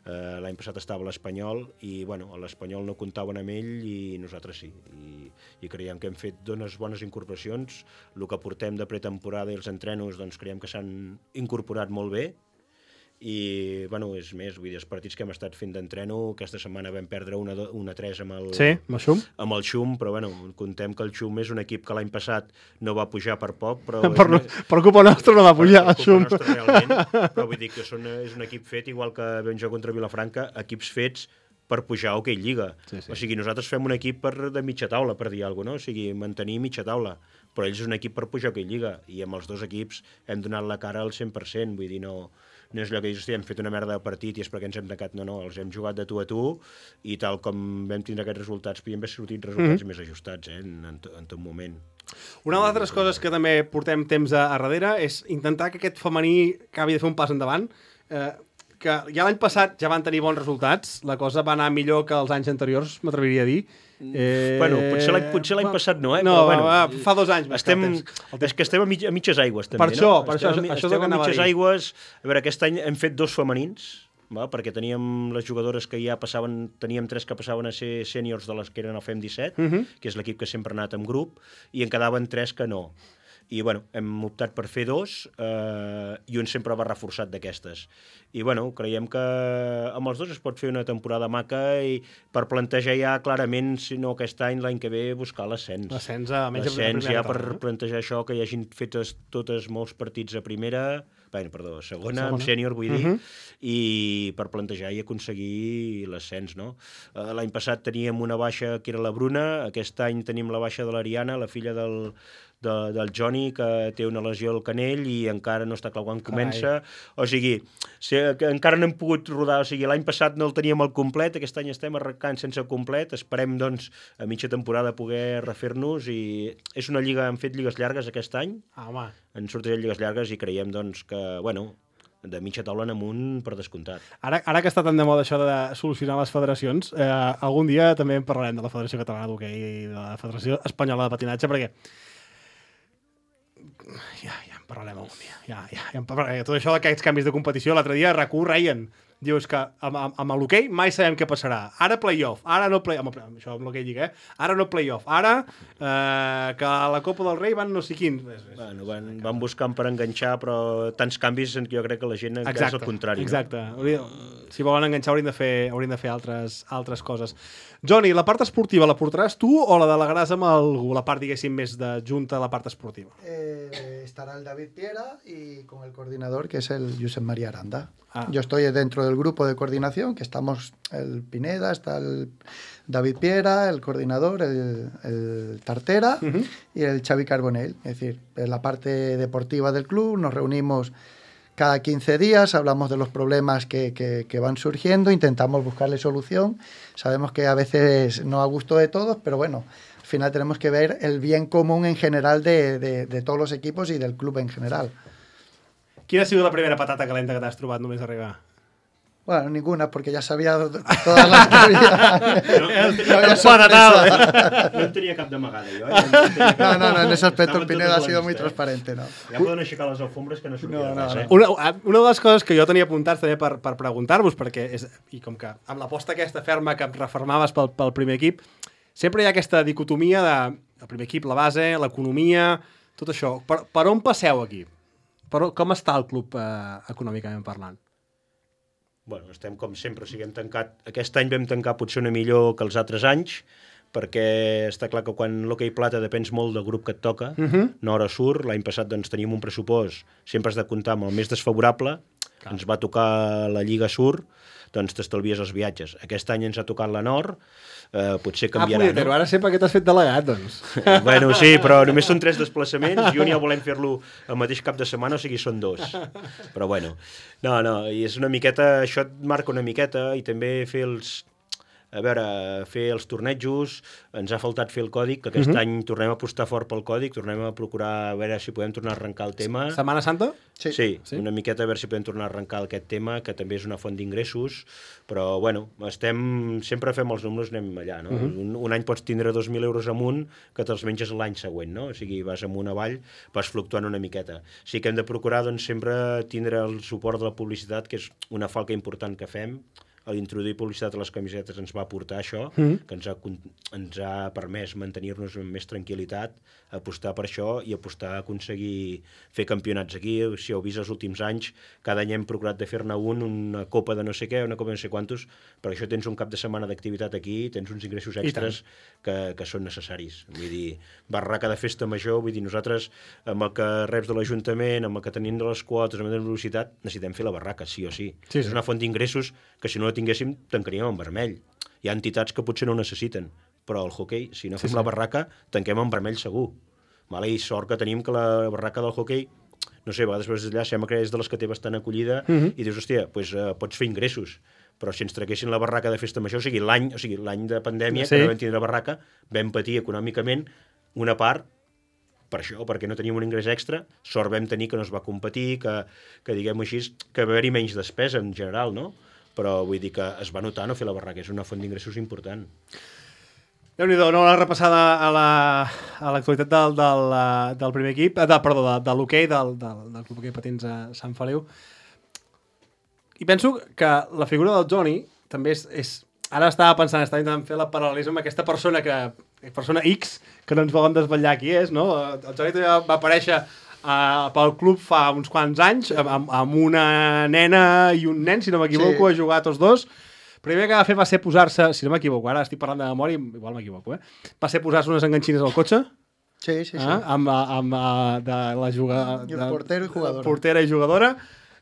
Uh, l'any passat estava a l'Espanyol i bueno, a l'Espanyol no comptaven amb ell i nosaltres sí, i, i creiem que hem fet dones bones incorporacions. El que portem de pretemporada i els entrenos doncs creiem que s'han incorporat molt bé i bueno, és més, vull dir, els partits que hem estat fent d'entreno, aquesta setmana vam perdre una, una tres amb el, sí, amb el Xum, amb el Xum, però bueno, contem que el Xum és un equip que l'any passat no va pujar per poc, però... per, una... per culpa nostra no va pujar el Xum. Per culpa nostra, realment, però vull dir que són, és un equip fet, igual que vam jugar contra Vilafranca, equips fets per pujar a Hockey Lliga. Sí, sí. O sigui, nosaltres fem un equip per, de mitja taula, per dir alguna cosa, no? O sigui, mantenir mitja taula, però ells és un equip per pujar a Hockey Lliga, i amb els dos equips hem donat la cara al cent per cent, vull dir, no... no és allò que dius, hem fet una merda de partit i és perquè ens hem tancat, no, no, els hem jugat de tu a tu i tal com vam tindre aquests resultats podien haver sortit resultats mm-hmm. més ajustats eh, en, en, en tot moment. Una de les altres coses que també portem temps a, a darrere és intentar que aquest femení acabi de fer un pas endavant, eh, que ja l'any passat ja van tenir bons resultats, la cosa va anar millor que els anys anteriors, m'atreviria a dir. Eh... Bueno, potser l'any potser l'any passat no, eh? No, però, bueno, va, fa dos anys. Estem, és que estem a, mig, a mitges aigües, també, per això, no? Per estem, això, això estem a mitges a aigües. A veure, aquest any hem fet dos femenins, va? Perquè teníem les jugadores que ja passaven, teníem tres que passaven a ser sèniors de les que eren al F E M disset, uh -huh. que és l'equip que sempre ha anat en grup, i en quedaven tres que no. I, bueno, hem optat per fer dos eh, i un sempre va reforçat d'aquestes. I, bueno, creiem que amb els dos es pot fer una temporada maca i per plantejar ja clarament, si no aquest any, l'any que ve, buscar l'ascens. L'ascens, almenys l'ascens ja per plantejar això, que hi hagin fetes totes molts partits a primera, bé, perdó, segona, segona. amb sènior, vull dir, uh -huh. i per plantejar i aconseguir l'ascens, no? Uh, l'any passat teníem una baixa que era la Bruna, aquest any tenim la baixa de l'Ariana, la filla del De, del Johnny, que té una lesió al canell i encara no està clar quan comença. O sigui, si, que encara no hem pogut rodar. O sigui, l'any passat no el teníem al complet, aquest any estem arrencant sense complet. Esperem, doncs, a mitja temporada poder refer-nos i és una lliga, hem fet lligues llargues aquest any. Ah, home. Han sortit lligues llargues i creiem, doncs, que, bueno, de mitja taula en amunt per descomptat. Ara, ara que està tan de moda això de solucionar les federacions, eh, algun dia també en parlarem de la Federació Catalana d'Hoquei i de la Federació Espanyola de Patinatge, perquè ja, ja en parlarem algun dia. Ja, ja, ja en parlarem. Tot això d'aquests canvis de competició, l'altre dia RAC u reien. Dius que amb, amb, amb l'hoquei mai sabem què passarà. Ara playoff, ara no playoff. Això amb l'hoquei lliga, eh? Ara no playoff. Ara eh, que a la Copa del Rei van no sé quins. Bueno, van, van buscant per enganxar, però tants canvis que jo crec que la gent encara és el contrari. Exacte. No? Si volen enganxar haurien de fer, haurien de fer altres, altres coses. Johnny, la part esportiva la portaràs tu o la delegaràs amb algú? La part, diguéssim, més de junta a la part esportiva. Eh, estará el David Piera y con el coordinador, que es el Josep María Aranda. Ah. Yo estoy dentro del grupo de coordinación, que estamos el Pineda, está el David Piera, el coordinador, el, el Tartera uh-huh. y el Xavi Carbonell. Es decir, en la parte deportiva del club nos reunimos cada quince días, hablamos de los problemas que, que, que van surgiendo, intentamos buscarle solución. Sabemos que a veces no a gusto de todos, pero bueno, al final tenemos que ver el bien común en general de, de, de todos los equipos y del club en general. Quina ha sigut la primera patata calenta que t'has trobat només arribar? Bueno, ninguna, porque ya sabía todas las que había. No, no, había sorpresa. No en tenia cap d'amagada, jo. Eh? No, no, no, en ese aspecto el Pineda ha sido muy transparente, no. Ja poden aixecar les alfombres que no sortirà no, no, res, eh? Una, una de les coses que jo tenia apuntats també per, per preguntar-vos, perquè és, i com que amb l'aposta aquesta ferma que em refermaves pel, pel primer equip, sempre hi ha aquesta dicotomia de el primer equip, la base, l'economia, tot això. Per, per on passeu aquí? Per, com està el club eh, econòmicament parlant? Bueno, estem com sempre, o sigui, hem tancat... Aquest any vam tancar potser una millor que els altres anys, perquè està clar que quan l'hoquei plata depens molt del grup que et toca, uh-huh. Nord o Sur. L'any passat doncs, teníem un pressupost, sempre has de comptar amb el més desfavorable, clar. Ens va tocar la Lliga Sur, doncs t'estalvies els viatges. Aquest any ens ha tocat la Nord, eh, potser canviarà, ah, no? Ara sé per què t'has fet delegat, doncs. Bueno, sí, però només són tres desplaçaments i un ja volem fer-lo el mateix cap de setmana, o sigui, són dos. Però bueno, no, no, i és una miqueta, això et marca una miqueta, i també fer els... A veure, fer els tornejos, ens ha faltat fer el còdic, que aquest uh-huh. any tornem a apostar fort pel còdic, tornem a procurar a veure si podem tornar a arrencar el tema. Setmana Santa? Sí, sí, sí, una miqueta a veure si podem tornar a arrencar aquest tema, que també és una font d'ingressos, però bueno, estem, sempre fem els números, anem allà, no? Uh-huh. Un, un any pots tindre dos mil euros amunt que te'ls menges l'any següent, no? O sigui, vas amunt avall, vas fluctuant una miqueta. Sí que hem de procurar, doncs, sempre tindre el suport de la publicitat, que és una falca important que fem. A l'introduir publicitat a les camisetes ens va aportar això, mm. que ens ha, ens ha permès mantenir-nos amb més tranquil·litat, apostar per això i apostar a aconseguir fer campionats aquí. Si heu vist els últims anys, cada any hem procurat de fer-ne un, una copa de no sé què, una copa de no sé quantos, perquè això tens un cap de setmana d'activitat aquí, tens uns ingressos extras que, que són necessaris. Vull dir, barraca de festa major, vull dir, nosaltres amb el que reps de l'Ajuntament, amb el que tenim de les quotes, amb la velocitat, necessitem fer la barraca, sí o sí. sí, sí. És una font d'ingressos que si no la tinguéssim, tancaríem en vermell. Hi ha entitats que potser no ho necessiten, però el hoquei, si no fem sí, sí. la barraca, tanquem en vermell segur. Vale? I sort que tenim que la barraca del hoquei, no sé, a vegades veus allà, sembla que és de les que té bastant acollida, uh-huh. i dius, hòstia, pues, uh, pots fer ingressos, però si ens traguessin la barraca de festa major, o sigui, l'any o sigui, l'any de pandèmia, sí. que no vam tindre barraca, vam patir econòmicament una part per això, perquè no teníem un ingrés extra, sort vam tenir que no es va competir, que, que diguem-ho així, que va haver-hi menys despesa en general, no? Però vull dir que es va notar no fer la barraca, és una font d'ingressos important. Déu-n'hi-do, no, una repassada a la, a l'actualitat del, del, del primer equip, de, perdó, de, de l'hoquei, del, del, del Club Hoquei Patins a Sant Feliu. I penso que la figura del Johnny també és... és ara estava pensant, estava intentant fer la paral·lelisme amb aquesta persona que persona X, que no ens volen desvetllar qui és, no? El Johnny també va aparèixer Uh, pel club fa uns quants anys amb, amb una nena i un nen, si no m'equivoco, sí. a jugar tots dos. El primer que va fer va ser posar-se, si no m'equivoco, ara estic parlant de memòria, igual m'equivoco, eh? Va ser posar-se unes enganxines al cotxe. Sí, sí, sí. Eh? Amb, amb, amb de la jugadora. I el portero i jugadora. Portera i jugadora.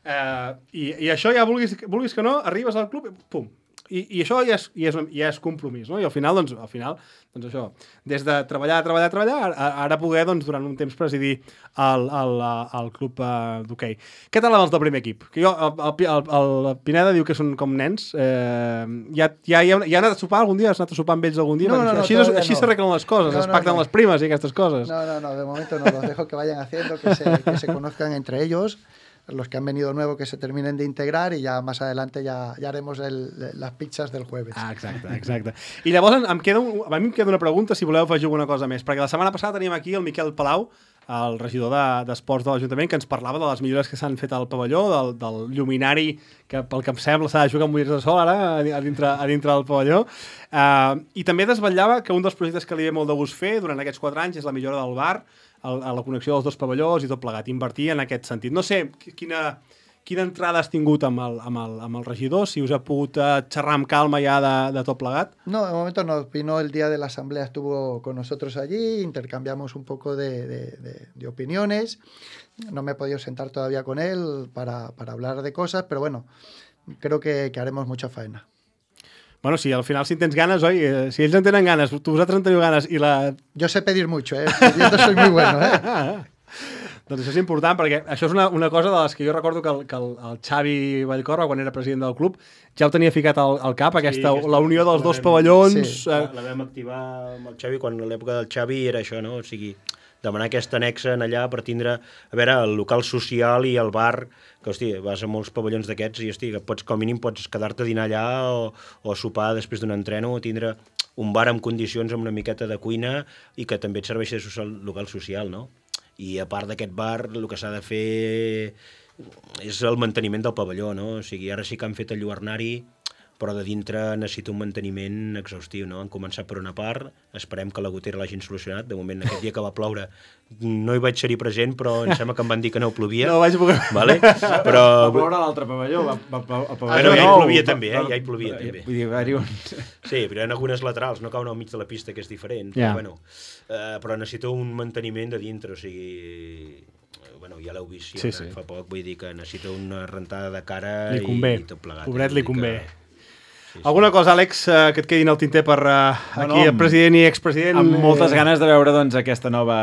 Uh, i, I això ja, vulguis, vulguis que no, arribes al club i pum. I, i això ja és, ja, és, ja és compromís, no? I al final, doncs, al final, doncs això, des de treballar, treballar, treballar, ara, ara poder, doncs, durant un temps presidir el, el, el club uh, d'hoquei. Què tal amb els del primer equip? Que jo, el, el, el, el Pineda diu que són com nens. Eh, ja, ja, ja, ja ha anat a sopar algun dia? Has anat a sopar amb ells algun dia? No, no, no, així així no. s'arreglen les coses, no, es pacten no, no. les primes i aquestes coses. No, no, no, de momento no, los dejo que vayan haciendo, que se, que se conozcan entre ellos. Los que han venido nuevos que se terminen de integrar y ya más adelante ya, ya haremos el, las pizzas del jueves. Ah, exacte, exacte. I llavors em queda un, a mi em queda una pregunta, si voleu afegir alguna cosa més, perquè la setmana passada teníem aquí el Miquel Palau, el regidor de- d'Esports de l'Ajuntament, que ens parlava de les millores que s'han fet al pavelló, del, del lluminari, que pel que em sembla s'ha de jugar amb ulleres de sol ara, a di- a dintre, a dintre del pavelló. Uh, I també desvetllava que un dels projectes que li ve molt de gust fer durant aquests quatre anys és la millora del bar, el, a la connexió dels dos pavellons i tot plegat, invertir en aquest sentit. No sé, qui- quina... Quina entrada has tingut amb el, amb el, amb el regidor? Si us ha pogut uh, xerrar amb calma ja de, de tot plegat? No, de momento no. Vino el día de la asamblea, estuvo con nosotros allí, intercambiamos un poco de, de, de, de opiniones. No me he podido sentar todavía con él para, para hablar de cosas, pero bueno, creo que, que haremos mucha faena. Bueno, si al final si en tens ganes, oi, eh, si ells en tenen ganes, tu vosaltres en teniu ganes i la... Yo sé pedir mucho, ¿eh? Pidiendo soy muy bueno, ¿eh? Doncs això és important, perquè això és una, una cosa de les que jo recordo que el, que el, el Xavi Vallcorba, quan era president del club, ja ho tenia ficat al, al cap, aquesta, aquesta- la unió dels la dos vam- pavellons... sí. Eh, La, la vam activar amb el Xavi quan a l'època del Xavi era això, no? O sigui, demanar aquesta anexa en allà per tindre, a veure, el local social i el bar, que, hosti, vas a molts pavellons d'aquests i, hosti, que pots, com a mínim, pots quedar-te a dinar allà o, o sopar després d'un entreno, o tindre un bar amb condicions, amb una miqueta de cuina i que també et serveixi de social, local social, no? I a part d'aquest bar, el que s'ha de fer és el manteniment del pavelló, no? O sigui, ara sí que han fet el lluernari, però de dintre necessita un manteniment exhaustiu, no? Han començat per una part, esperem que la gotera l'hagin solucionat. De moment, aquest dia que va ploure, no hi vaig ser-hi present, però em sembla que em van dir que no plovia. no vaig poder... Vale? Però... Va ploure a l'altre pavelló. Va, va, va, el pavelló Bueno, ja hi nou, plovia va- també, eh? va- Ja hi plovia també. Vull dir, va-hi un... Sí, però hi ha algunes laterals, no cauen al mig de la pista, que és diferent. Ja. Però, bueno, eh, però necessita un manteniment de dintre, o sigui... eh, Bueno, ja l'heu vist sí, Sí, sí. sí. fa poc, vull dir que necessita una rentada de cara Li convé. i tot plegat. Pobret, Vull li dir convé. que- Sí, sí. Alguna cosa, Àlex, eh, que et quedi en el tinter per uh, No, aquí, no, el president i expresident? Amb moltes eh, ganes de veure doncs, aquesta nova,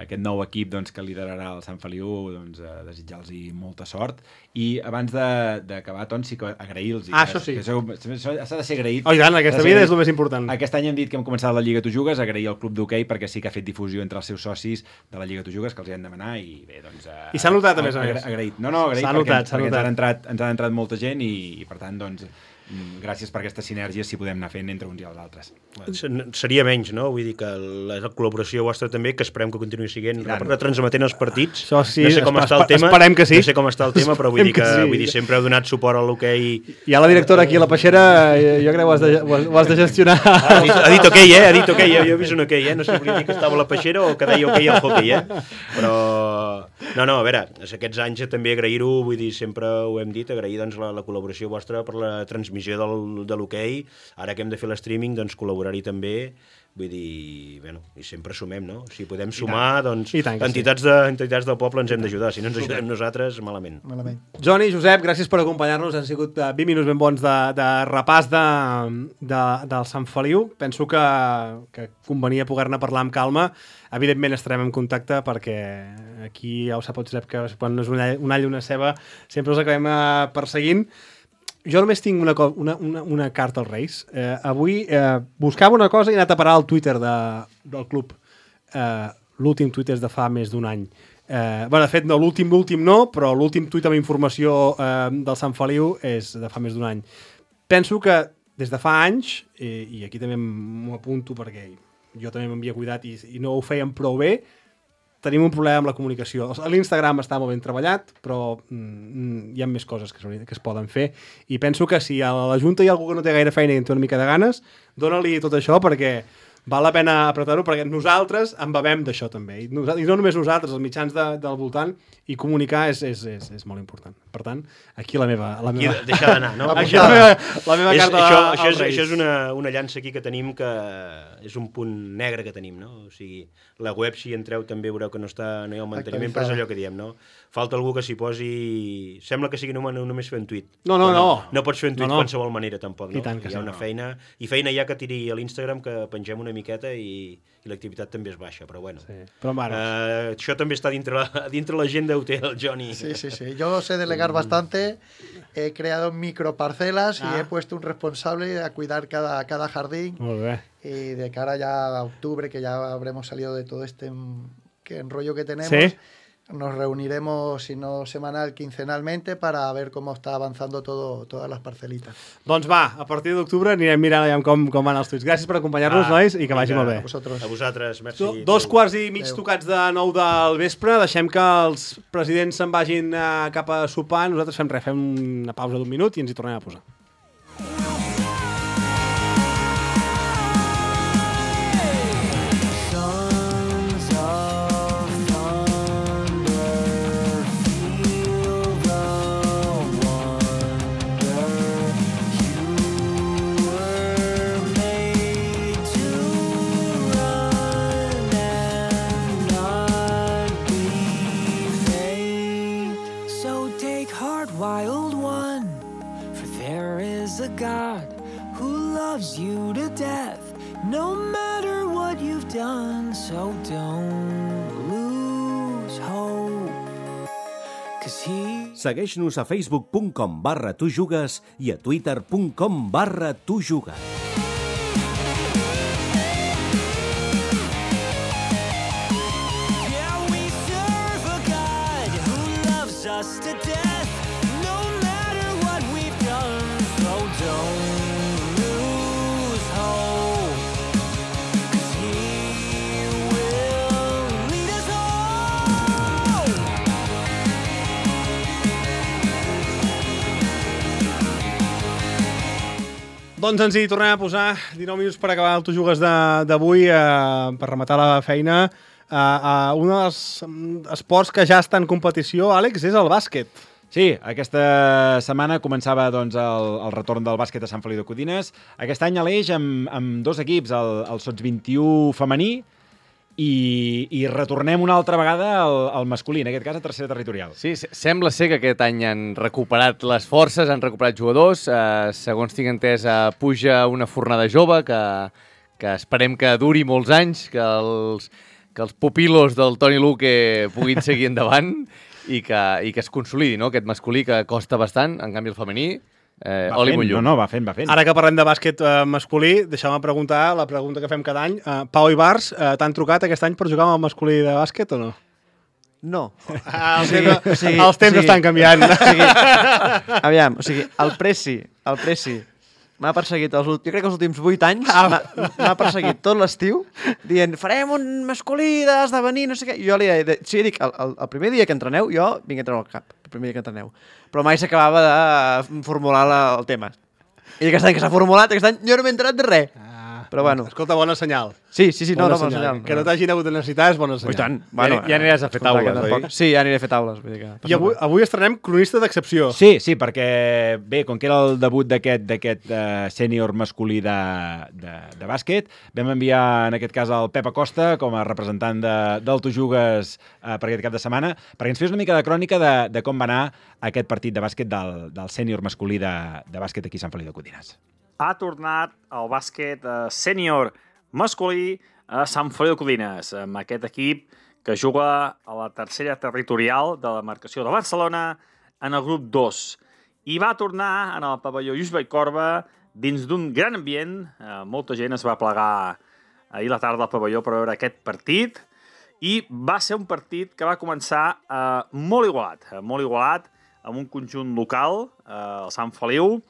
aquest nou equip doncs, que liderarà el Sant Feliu, doncs, eh, desitjar-los molta sort. I abans de- d'acabar, doncs, sí que agrair-los. Ah, això sí. Que sou- això s'ha de ser agraït. Oh, i tant, aquesta S'ha de ser vida és agraït. el més important. Aquest any hem dit que hem començat la Lliga Tu Jugues, agrair al Club d'Hoquei perquè sí que ha fet difusió entre els seus socis de la Lliga Tu Jugues, que els hi han demanat i bé, doncs... Eh, I s'ha notat, a més a agra- més. Agraït. No, no, agraït S'ha perquè, notat, s'ha perquè ens, notat. han entrat, ens ha entrat molta gent i, i per tant, doncs, mm, gràcies per aquestes sinergies si podem anar fent entre uns i els altres. Se- Seria menys, no? Vull dir que la col·laboració vostra també, que esperem que continuï sent, retransmetent els partits. Això sí, no sé com espe- està el tema, esperem que sí. no sé com està el tema, però vull dir que, Esperem que sí. vull dir, sempre heu donat suport a l'hoquei. Hi ha la directora aquí a la peixera, eh, jo crec que ho has de, ho has, ho has de gestionar. Ha dit, ha dit ok, eh? Ha dit ok, jo, jo he vist un ok, eh? No sé si volia dir que estava a la peixera o que deia ok al hockey, eh? Però... No, no, a veure, aquests anys també agrair-ho, vull dir, sempre ho hem dit, agrair doncs, la, la col·laboració vostra per la transmissió del, de l'hoquei. Ara que hem de fer l'streaming, doncs col·laborar-hi també. Vull dir, bueno, i sempre sumem, no? Si podem sumar, doncs I tant que sí. entitats, de, entitats del poble ens hem d'ajudar. Si no ens ajudem nosaltres, malament. Malament. Johnny, Josep, gràcies per acompanyar-nos. Han sigut eh, vint minuts ben bons de, de repàs de, de, del Sant Feliu. Penso que, que convenia poder-ne parlar amb calma. Evidentment estarem en contacte perquè aquí ja ho sap el Josep que quan no és un all, un all i una ceba sempre els acabem eh, perseguint. Jo només tinc una, co- una, una, una carta als Reis. Eh, avui eh, buscava una cosa i he anat a parar al Twitter de, del club. Eh, l'últim Twitter és de fa més d'un any. Eh, bueno, de fet, no, l'últim l'últim no, però l'últim tuit amb informació eh, del Sant Feliu és de fa més d'un any. Penso que des de fa anys, i, i aquí també m'ho apunto perquè jo també m'havia cuidat i, i no ho fèiem prou bé, tenim un problema amb la comunicació. L'Instagram està molt ben treballat, però mm, hi ha més coses que, que es poden fer. I penso que si a la Junta hi ha algú que no té gaire feina i en té una mica de ganes, dóna-li tot això perquè val la pena apretar-ho, perquè nosaltres en bevem d'això també. I, nosaltres, I no només nosaltres, els mitjans de, del voltant, i comunicar és, és, és, és molt important. Per tant, aquí la meva... La Aquí, meva... deixar d'anar, no? Aquí la meva, la meva és, carta això, als això, és, Reis. això és una, una llança aquí que tenim que és un punt negre que tenim, no? O sigui, la web, si entreu, també veureu que no està no hi ha el manteniment, però és allò que diem, no? Falta algú que s'hi posi... Sembla que sigui només, només fer un tuit. No, no, Però no. No pots fer un tuit No, no. qualsevol manera, tampoc, no? I tant que hi ha sí, una no. feina... I feina ja que tiri a l'Instagram, que pengem una miqueta i, i l'activitat també és baixa, però bueno. Sí. Però, bueno. Uh, això també està dintre la- dintre l'agenda ho té el Johnny. Sí, sí, sí. Yo sé delegar bastante. He creado microparcelas Ah. y he puesto un responsable a cuidar cada, cada jardín. Molt bé. Y de cara ya a octubre, que ya habremos salido de todo este mm, que enrollo que tenemos, Sí. nos reuniremos, si no semanal, quincenalmente, para ver cómo está avanzando todo, todas las parcelitas. Doncs va, a partir d'octubre anirem mirant allà com, com van els tuits. Gràcies per acompanyar-nos, Ah, nois, i que vagi vinga, molt bé. A vosaltres. A vosaltres, merci. Do, dos quarts i mig Adéu. tocats de nou del vespre. Deixem que els presidents se'n vagin uh, cap a sopar. Nosaltres fem res, fem una pausa d'un minut i ens hi tornem a posar. So take heart, wild one, for there is a God who loves you to death, no matter what you've done. So don't lose hope, 'cause he... Segueix-nos a facebook punt com barra tu jugues i a twitter punt com barra tu jugues. Yeah, we serve a God who loves us to death, no matter what we've done. So don't lose hope, 'cause he will lead us home. Doncs ens hi tornem a posar dinou minuts per acabar el Tu Jugues de- d'avui, eh, per rematar la feina. Eh, eh, un dels mm, esports que ja està en competició, Àlex, és el bàsquet. Sí, aquesta setmana començava doncs, el, el retorn del bàsquet a Sant Feliu de Codines. Aquest any a l'Eix amb, amb dos equips, el, el Sots vint i u femení i, i retornem una altra vegada al, al masculí, en aquest cas a tercera territorial. Sí, se- sembla ser que aquest any han recuperat les forces, han recuperat jugadors. Eh, segons tinc entès, eh, puja una fornada jove que, que esperem que duri molts anys, que els, que els pupilos del Toni Luque puguin seguir endavant i que, i que es consolidi, no?, aquest masculí que costa bastant, en canvi el femení, eh, Va oli fent, molt llum. no, no, va fent, va fent. Ara que parlem de bàsquet eh, masculí, deixeu-me preguntar la pregunta que fem cada any. Eh, Pau i Bars, eh, t'han trucat aquest any per jugar amb el masculí de bàsquet o no? No. Ah, els, O sigui, temps, o sigui, els temps o sigui, estan canviant. O sigui, aviam, o sigui, el Preci, el Preci m'ha perseguit, els, ult- jo crec que els últims vuit anys, m'ha m'ha perseguit tot l'estiu, dient, farem un masculí d'esdevenir, no sé què. Jo li deia, sí, dic, el, el, el primer dia que entreneu, jo vinc a entrenar al cap, el primer dia que entreneu. Però mai s'acabava de formular la, el tema. I aquest any que s'ha formulat, aquest any jo no m'he enterat de res. Però bueno. Escolta, bona senyal. Sí, sí, sí, no, no, bona senyal. Que no t'hagin hagut de necessitar és bona senyal. I tant. Bueno, ja aniràs a fer escolta, taules, que oi? tampoc- Sí, ja aniré a fer taules. Vull dir que... I avui, avui estrenem cronista d'excepció. Sí, sí, perquè bé, com que era el debut d'aquest d'aquest uh, sènior masculí de, de, de bàsquet, vam enviar en aquest cas el Pep Acosta com a representant de, del Tu Jugues uh, per aquest cap de setmana, perquè ens fes una mica de crònica de, de com va anar aquest partit de bàsquet del, del sènior masculí de, de bàsquet aquí a Sant Feliu de Codines. Ha tornat el bàsquet eh, sènior masculí a Sant Feliu de Codines, amb aquest equip que juga a la tercera territorial de la marcació de Barcelona en el grup dos. I va tornar en el pavelló Lluís Vallcorba dins d'un gran ambient. Eh, molta gent es va plegar ahir a la tarda al pavelló per veure aquest partit i va ser un partit que va començar eh, molt igualat, eh, molt igualat, amb un conjunt local, eh, el Sant Feliu,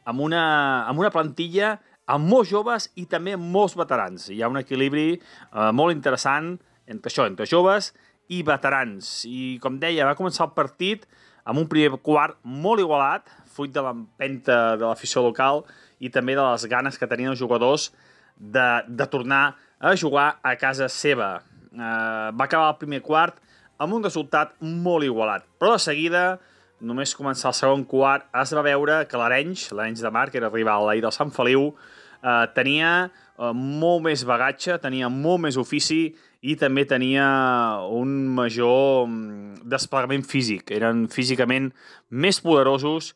amb una, amb una plantilla amb molts joves i també amb molts veterans. Hi ha un equilibri eh, molt interessant entre això, entre joves i veterans. I, com deia, va començar el partit amb un primer quart molt igualat, fruit de l'empenta de l'afició local i també de les ganes que tenien els jugadors de, de tornar a jugar a casa seva. Eh, va acabar el primer quart amb un resultat molt igualat, però de seguida, només començar el segon quart, es va veure que l'Arenys, l'Arenys de Mar, que era rival ahir del Sant Feliu, eh, tenia eh, molt més bagatge, tenia molt més ofici i també tenia un major mm, desplegament físic. Eren físicament més poderosos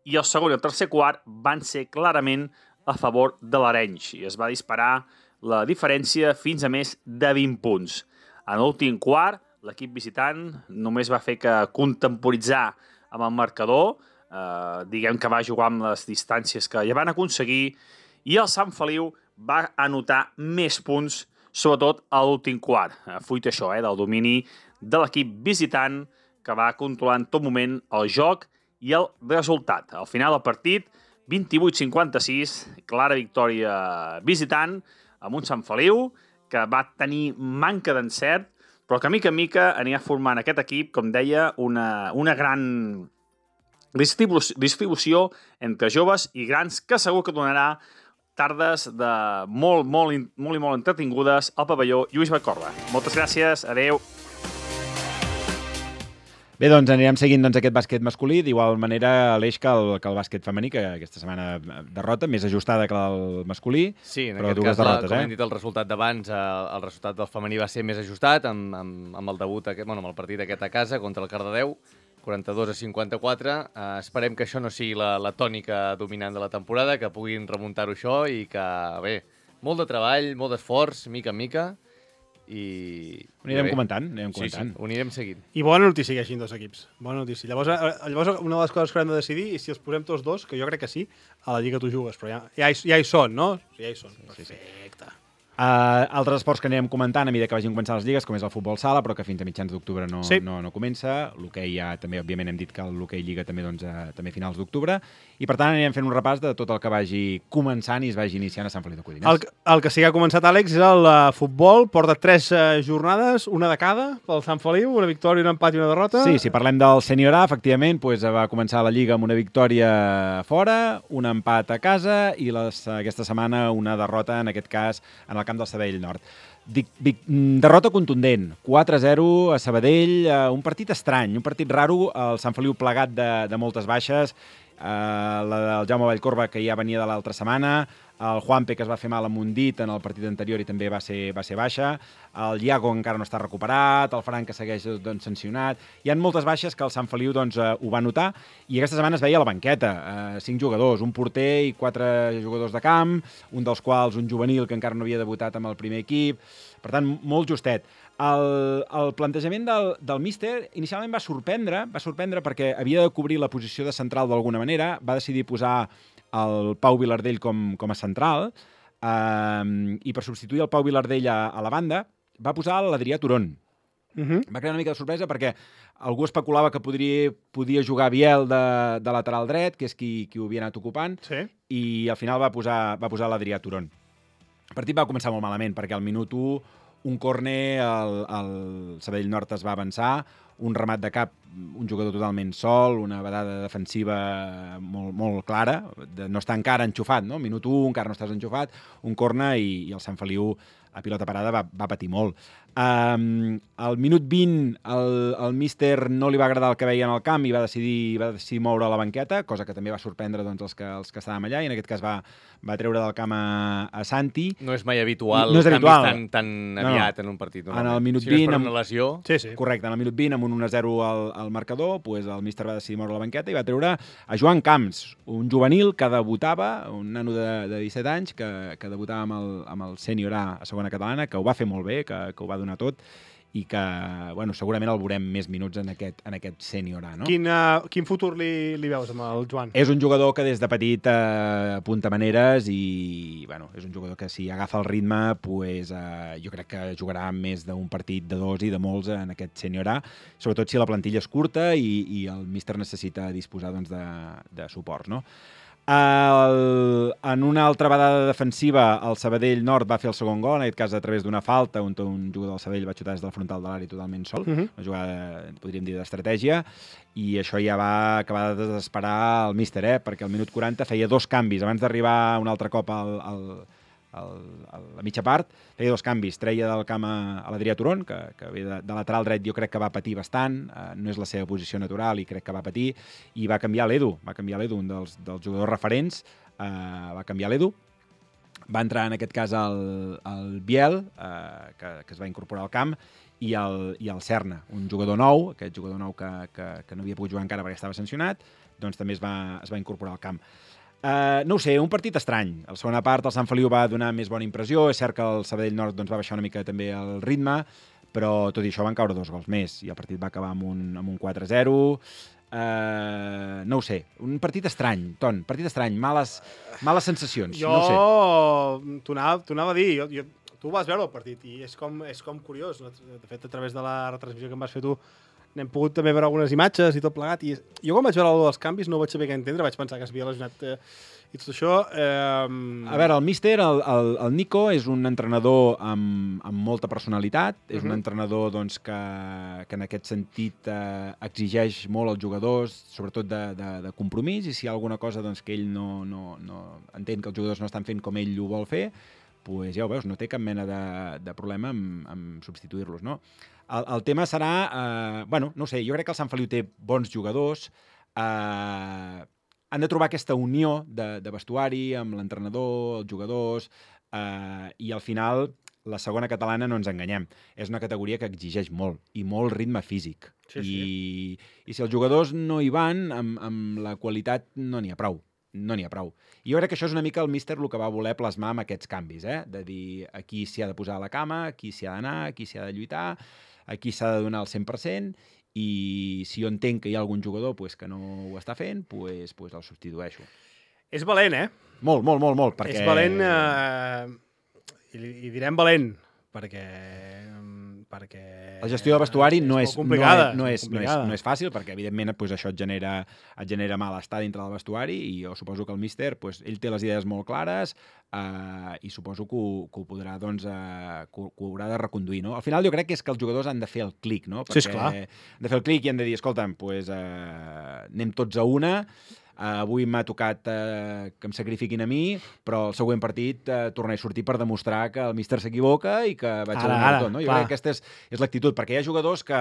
i el segon i el tercer quart van ser clarament a favor de l'Arenys i es va disparar la diferència fins a més de vint punts. En l'últim quart, l'equip visitant només va fer que contemporitzar amb el marcador, eh, diguem que va jugar amb les distàncies que ja van aconseguir, i el Sant Feliu va anotar més punts, sobretot a l'últim quart, eh, fruit això, eh, del domini de l'equip visitant, que va controlant tot moment el joc i el resultat. Al final del partit, vint-i-vuit cinquanta-sis, clara victòria visitant, amb un Sant Feliu que va tenir manca d'encert, però que mica en mica anirà formant aquest equip, com deia, una, una gran distribu distribució entre joves i grans que segur que donarà tardes de molt, molt, molt i molt entretingudes al pavelló Lluís Vallcorba. Moltes gràcies, adeu. Bé, doncs anirem seguint doncs, aquest bàsquet masculí, d'igual manera Aleix que el, que el bàsquet femení, que aquesta setmana derrota, més ajustada que el masculí, sí, en però aquest dues cas, derrotes, la, com eh? hem dit el resultat d'abans, eh, el resultat del femení va ser més ajustat, amb, amb, amb el debut, aquest, bueno, amb el partit aquest a casa contra el Cardedeu, quaranta-dos a cinquanta-quatre. Eh, esperem que això no sigui la, la tònica dominant de la temporada, que puguin remuntar-ho això i que, bé, molt de treball, molt d'esforç, mica en mica, i... Ho anirem i comentant, anirem sí, comentant. Sí, ho anirem seguint. I bona notícia que hi hagin dos equips. Bona notícia. Llavors, eh, llavors, una de les coses que haurem de decidir és si els posem tots dos, que jo crec que sí, a la Lliga tu jugues, però ja, ja, hi, ja hi són, no? Ja hi són. Perfecte. Uh, altres esports que anirem comentant a mesura que vagin començant les lligues, com és el futbol sala, però que fins a mitjans d'octubre no, sí. no, no comença. L'hoquei ja també, òbviament, hem dit que l'hoquei Lliga també, doncs, uh, també a finals d'octubre. I, per tant, anirem fent un repàs de tot el que vagi començant i es vagi iniciant a Sant Feliu de Codinès. El, el que sí que ha començat, Àlex, és el uh, futbol. Porta tres uh, jornades, una de cada, pel Sant Feliu, una victòria, un empat i una derrota. Sí, si parlem del Sènior A, efectivament, doncs, va començar la Lliga amb una victòria fora, un empat a casa i les, aquesta setmana una derrota, en aquest cas, en el camp del Sabadell Nord. Dic, dic, derrota contundent, quatre a zero a Sabadell, eh, un partit estrany, un partit raro, el Sant Feliu plegat de, de moltes baixes, eh, la del Jaume Vallcorba, que ja venia de l'altra setmana, el Juanpe, que es va fer mal amb un dit en el partit anterior i també va ser, va ser baixa, el Iago encara no està recuperat, el Fran, que segueix doncs, sancionat. Hi ha moltes baixes que el Sant Feliu doncs, eh, ho va notar, i aquesta setmana es veia a la banqueta, eh, cinc jugadors, un porter i quatre jugadors de camp, un dels quals un juvenil que encara no havia debutat amb el primer equip, per tant, molt justet. El, el plantejament del, del míster inicialment va sorprendre, va sorprendre perquè havia de cobrir la posició de central d'alguna manera, va decidir posar el Pau Vilardell com, com a central, eh, i per substituir el Pau Vilardell a, a la banda va posar l'Adrià Turón. Uh -huh. Va crear una mica de sorpresa perquè algú especulava que podria, podia jugar Biel de, de lateral dret, que és qui, qui ho havia anat ocupant, sí. i al final va posar, va posar l'Adrià Turón. El partit va començar molt malament perquè al minut u un córner, el, el Sabadell Nord es va avançar, un remat de cap, un jugador totalment sol, una vedada defensiva molt, molt clara, de no estar encara enxufat, no? Minut u, encara no estàs enxufat, un córner i, i el Sant Feliu a pilota parada va, va patir molt. Um, al minut vint el, el míster no li va agradar el que veia en el camp i va decidir, va decidir moure a la banqueta, cosa que també va sorprendre doncs, els, que, els que estàvem allà, i en aquest cas va, va treure del camp a, a Santi. No és mai habitual, no és habitual. canvis tan, tan aviat no, no. en un partit. En el minut si no és vint... per una lesió... Sí, sí. Correcte, en el minut vint, amb un un a zero al, al marcador, pues, el míster va decidir moure la banqueta i va treure a Joan Camps, un juvenil que debutava, un nano de, de disset anys, que, que debutava amb el, amb el Sènior A a segona catalana, que ho va fer molt bé, que, que ho va donar tot, i que, bueno, segurament el veurem més minuts en aquest, en aquest Sènior A, no? Quin, uh, quin futur li, li veus amb el Joan? És un jugador que des de petit eh, apunta maneres i, bueno, és un jugador que si agafa el ritme, pues, eh, jo crec que jugarà més d'un partit, de dos i de molts en aquest Sènior A, sobretot si la plantilla és curta i, i el míster necessita disposar doncs, de, de suports, no? El, en una altra vedada defensiva, el Sabadell Nord va fer el segon gol, en aquest cas a través d'una falta, on un jugador del Sabadell va xutar des del frontal de l'àrea totalment sol, uh -huh. una jugada, podríem dir, d'estratègia, i això ja va acabar de desesperar el míster, eh? Perquè al minut quaranta feia dos canvis, abans d'arribar un altre cop al, al, al, a la mitja part, feia dos canvis, treia del camp a, a l'Adrià Turón, que, que ve de, de lateral dret, jo crec que va patir bastant, eh, no és la seva posició natural i crec que va patir, i va canviar l'Edu, va canviar l'Edu, un dels, dels jugadors referents, eh, va canviar l'Edu, va entrar en aquest cas el, el Biel, eh, que, que es va incorporar al camp, i el, i el Serna, un jugador nou, aquest jugador nou que, que, que no havia pogut jugar encara perquè estava sancionat, doncs també es va, es va incorporar al camp. Uh, no ho sé, un partit estrany. A la segona part el Sant Feliu va donar més bona impressió, és cert que el Sabadell Nord doncs, va baixar una mica també el ritme, però tot i això van caure dos gols més, i el partit va acabar amb un, amb un quatre a zero. Uh, no ho sé, un partit estrany, Ton, partit estrany, males, males sensacions, jo, no ho sé. T'ho anava, anava a dir, jo, jo tu vas veure el partit i és com, és com curiós. No? De fet, a través de la retransmissió que em vas fer tu, n'hem pogut també veure algunes imatges i tot plegat. I jo quan vaig veure el dels canvis no vaig saber què entendre, vaig pensar que es havia lesionat eh, i tot això... Eh... A veure, el míster, el, el, el Nico, és un entrenador amb, amb molta personalitat, és uh-huh. un entrenador doncs, que, que en aquest sentit eh, exigeix molt als jugadors, sobretot de, de, de compromís, i si hi ha alguna cosa doncs, que ell no, no, no entén que els jugadors no estan fent com ell ho vol fer, pues ja ho veus, no té cap mena de, de problema amb, amb substituir-los, no? El, el tema serà... Eh, bueno, no sé, jo crec que el Sant Feliu té bons jugadors, eh, han de trobar aquesta unió de, de vestuari amb l'entrenador, els jugadors, eh, i al final la segona catalana, no ens enganyem, és una categoria que exigeix molt, i molt ritme físic. Sí, I, sí. I si els jugadors no hi van, amb, amb la qualitat no n'hi ha prou. No n'hi ha prou. I jo crec que això és una mica el míster el que va voler plasmar amb aquests canvis, eh? De dir aquí s'hi ha de posar a la cama, aquí s'hi ha d'anar, aquí s'hi ha de lluitar, aquí s'ha de donar el cent per cent, i si jo entenc que hi ha algun jugador pues, que no ho està fent, pues, pues el substitueixo. És valent, eh? Molt, molt, molt, molt. Perquè... És valent, eh, i, i direm valent, perquè... perquè... La gestió del vestuari és, no, és és, no, és, no, és, no, és, no és fàcil, perquè evidentment pues, això et genera, et genera malestar dintre del vestuari, i jo suposo que el míster pues, ell té les idees molt clares, eh, i suposo que ho, que ho podrà doncs, eh, que, ho, que ho haurà de reconduir. No? Al final jo crec que és que els jugadors han de fer el clic, no? Perquè sí, esclar. Han de fer el clic i han de dir, escolta'm, pues, eh, anem tots a una. Uh, avui m'ha tocat uh, que em sacrifiquin a mi, però el següent partit uh, tornaré a sortir per demostrar que el míster s'equivoca i que vaig ara, a donar ara, tot. No? Jo clar. crec que aquesta és, és l'actitud, perquè hi ha jugadors que,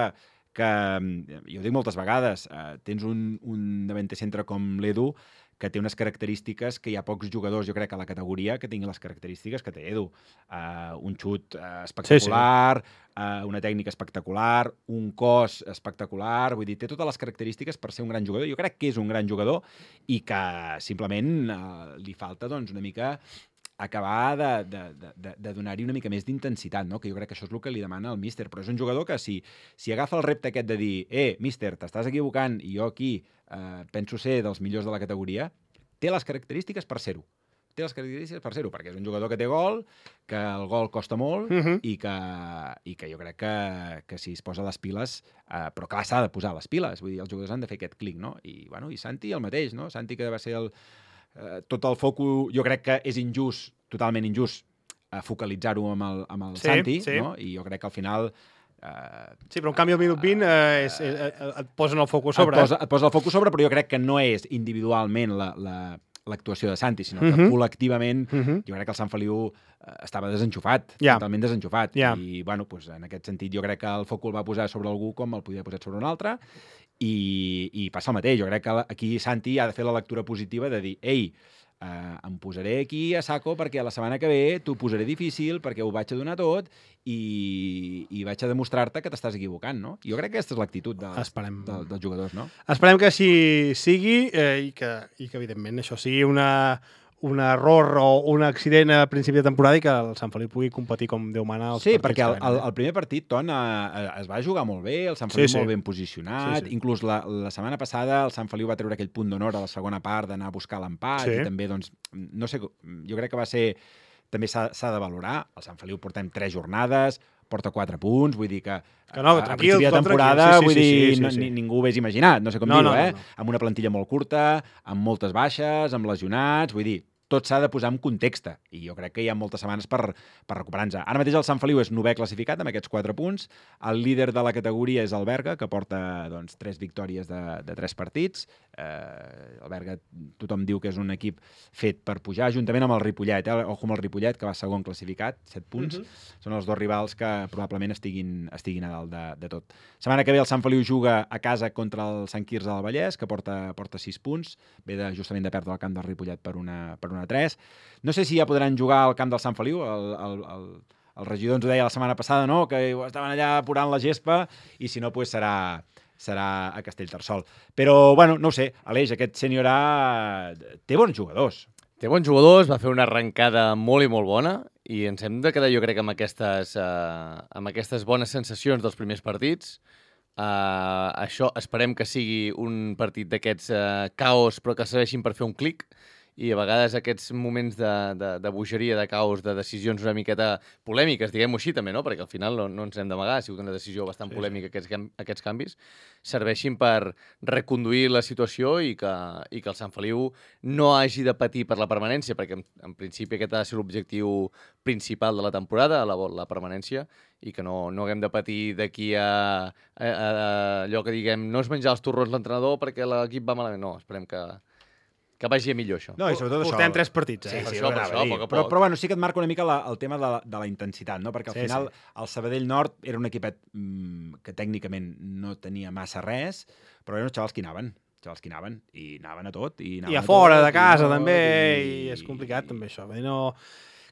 que jo ho dic moltes vegades, uh, tens un, un davanter centre com l'Edu, que té unes característiques que hi ha pocs jugadors, jo crec, a la categoria que tinguin les característiques que té Edu. Uh, un xut uh, espectacular, sí, sí. Uh, una tècnica espectacular, un cos espectacular, vull dir, té totes les característiques per ser un gran jugador. Jo crec que és un gran jugador i que simplement uh, li falta doncs, una mica acabar de, de, de, de donar-hi una mica més d'intensitat, no? Que jo crec que això és el que li demana el míster, però és un jugador que si, si agafa el repte aquest de dir eh, míster, t'estàs equivocant i jo aquí eh, penso ser dels millors de la categoria, té les característiques per ser-ho. Té les característiques per ser-ho, perquè és un jugador que té gol, que el gol costa molt, Uh -huh. i, que, i que jo crec que, que si es posa les piles, eh, però clar, s'ha de posar les piles, vull dir, els jugadors han de fer aquest clic, no? I, bueno, i Santi el mateix, no? Santi que va ser el Uh, tot el foco, jo crec que és injust, totalment injust, uh, focalitzar-ho amb el, amb el sí, Santi, sí. no? I jo crec que al final... Uh, sí, però en canvi al minut vint uh, és, és, et posen el focus sobre. Et posa, et posa el focus sobre, però jo crec que no és individualment la, la, l'actuació de Santi, sinó que uh -huh. col·lectivament uh -huh. jo crec que el Sant Feliu uh, estava desenxufat, yeah. totalment desenxufat. Yeah. I, bueno, pues, en aquest sentit jo crec que el foc el va posar sobre algú com el podia posar sobre un altre, i, i passa el mateix. Jo crec que aquí Santi ha de fer la lectura positiva de dir, ei, Uh, em posaré aquí a saco perquè la setmana que ve t'ho posaré difícil, perquè ho vaig a donar tot i, i vaig a demostrar-te que t'estàs equivocant, no? Jo crec que aquesta és l'actitud dels, de, dels jugadors, no? Esperem que així sigui eh, i, que, i que, evidentment, això sigui una, un error o un accident a principi de temporada i que el Sant Feliu pugui competir com Déu mana als sí, partits. Sí, perquè el, el, el, el primer partit, Ton, eh, es va jugar molt bé, el Sant Feliu sí, sí. molt ben posicionat, sí, sí. Inclús la, la setmana passada el Sant Feliu va treure aquell punt d'honor a la segona part d'anar a buscar l'empat, sí. I també, doncs, no sé, jo crec que va ser... També s'ha de valorar. El Sant Feliu portem tres jornades, porta quatre punts, vull dir que, que no, a, a principi de temporada, sí, sí, vull dir, sí, sí, sí, no, sí. ningú ho hagués imaginat, no sé com no, dir-ho, no, eh? No, no. Amb una plantilla molt curta, amb moltes baixes, amb lesionats, vull dir, tot s'ha de posar en context, i jo crec que hi ha moltes setmanes per, per recuperar-nos. Ara mateix el Sant Feliu és novè classificat amb aquests quatre punts, el líder de la categoria és el Berga, que porta doncs, tres victòries de, de tres partits. Eh, el Berga, tothom diu que és un equip fet per pujar, juntament amb el Ripollet, eh? Ojo amb el Ripollet, que va segon classificat, set punts. Uh -huh. Són els dos rivals que probablement estiguin, estiguin a dalt de, de tot. Setmana que ve el Sant Feliu juga a casa contra el Sant Quirze del Vallès, que porta, porta sis punts, ve de, justament de perdre el camp del Ripollet per una, per una tres. No sé si ja podran jugar al camp del Sant Feliu. El, el, el, el regidor ens ho deia la setmana passada, no? Que estaven allà apurant la gespa, i si no, pues serà, serà a Castellterçol. Però, bueno, no ho sé, Aleix, aquest sènior A té bons jugadors. Té bons jugadors, va fer una arrencada molt i molt bona, i ens hem de quedar, jo crec, amb aquestes, uh, amb aquestes bones sensacions dels primers partits. Uh, això esperem que sigui un partit d'aquests uh, caos, però que serveixin per fer un clic, i a vegades aquests moments de, de, de bogeria, de caos, de decisions una miqueta polèmiques, diguem-ho així també, no? Perquè al final no, no ens hem d'amagar, ha sigut una decisió bastant sí, polèmica sí. Aquests, aquests canvis, serveixin per reconduir la situació i que, i que el Sant Feliu no hagi de patir per la permanència, perquè en, en principi aquest ha de ser l'objectiu principal de la temporada, la, la permanència, i que no, no haguem de patir d'aquí a, a, a, a allò que diguem no es menjar els torrons l'entrenador perquè l'equip va malament. No, esperem que, que vagi a millor això. No, i sobretot Portem això... tres partits, eh? Sí, sí, per això, per això, dir. poc a Però, poc. però bueno, sí que et marca una mica la, el tema de la, de la intensitat, no? Perquè al Sí, final sí. el Sabadell Nord era un equipet mm, que tècnicament no tenia massa res, però eren els xavals que anaven. xavals que anaven, i anaven a tot. I, anaven I a fora, tot, de casa, i també, i, i és complicat, també, això. Vull dir, no...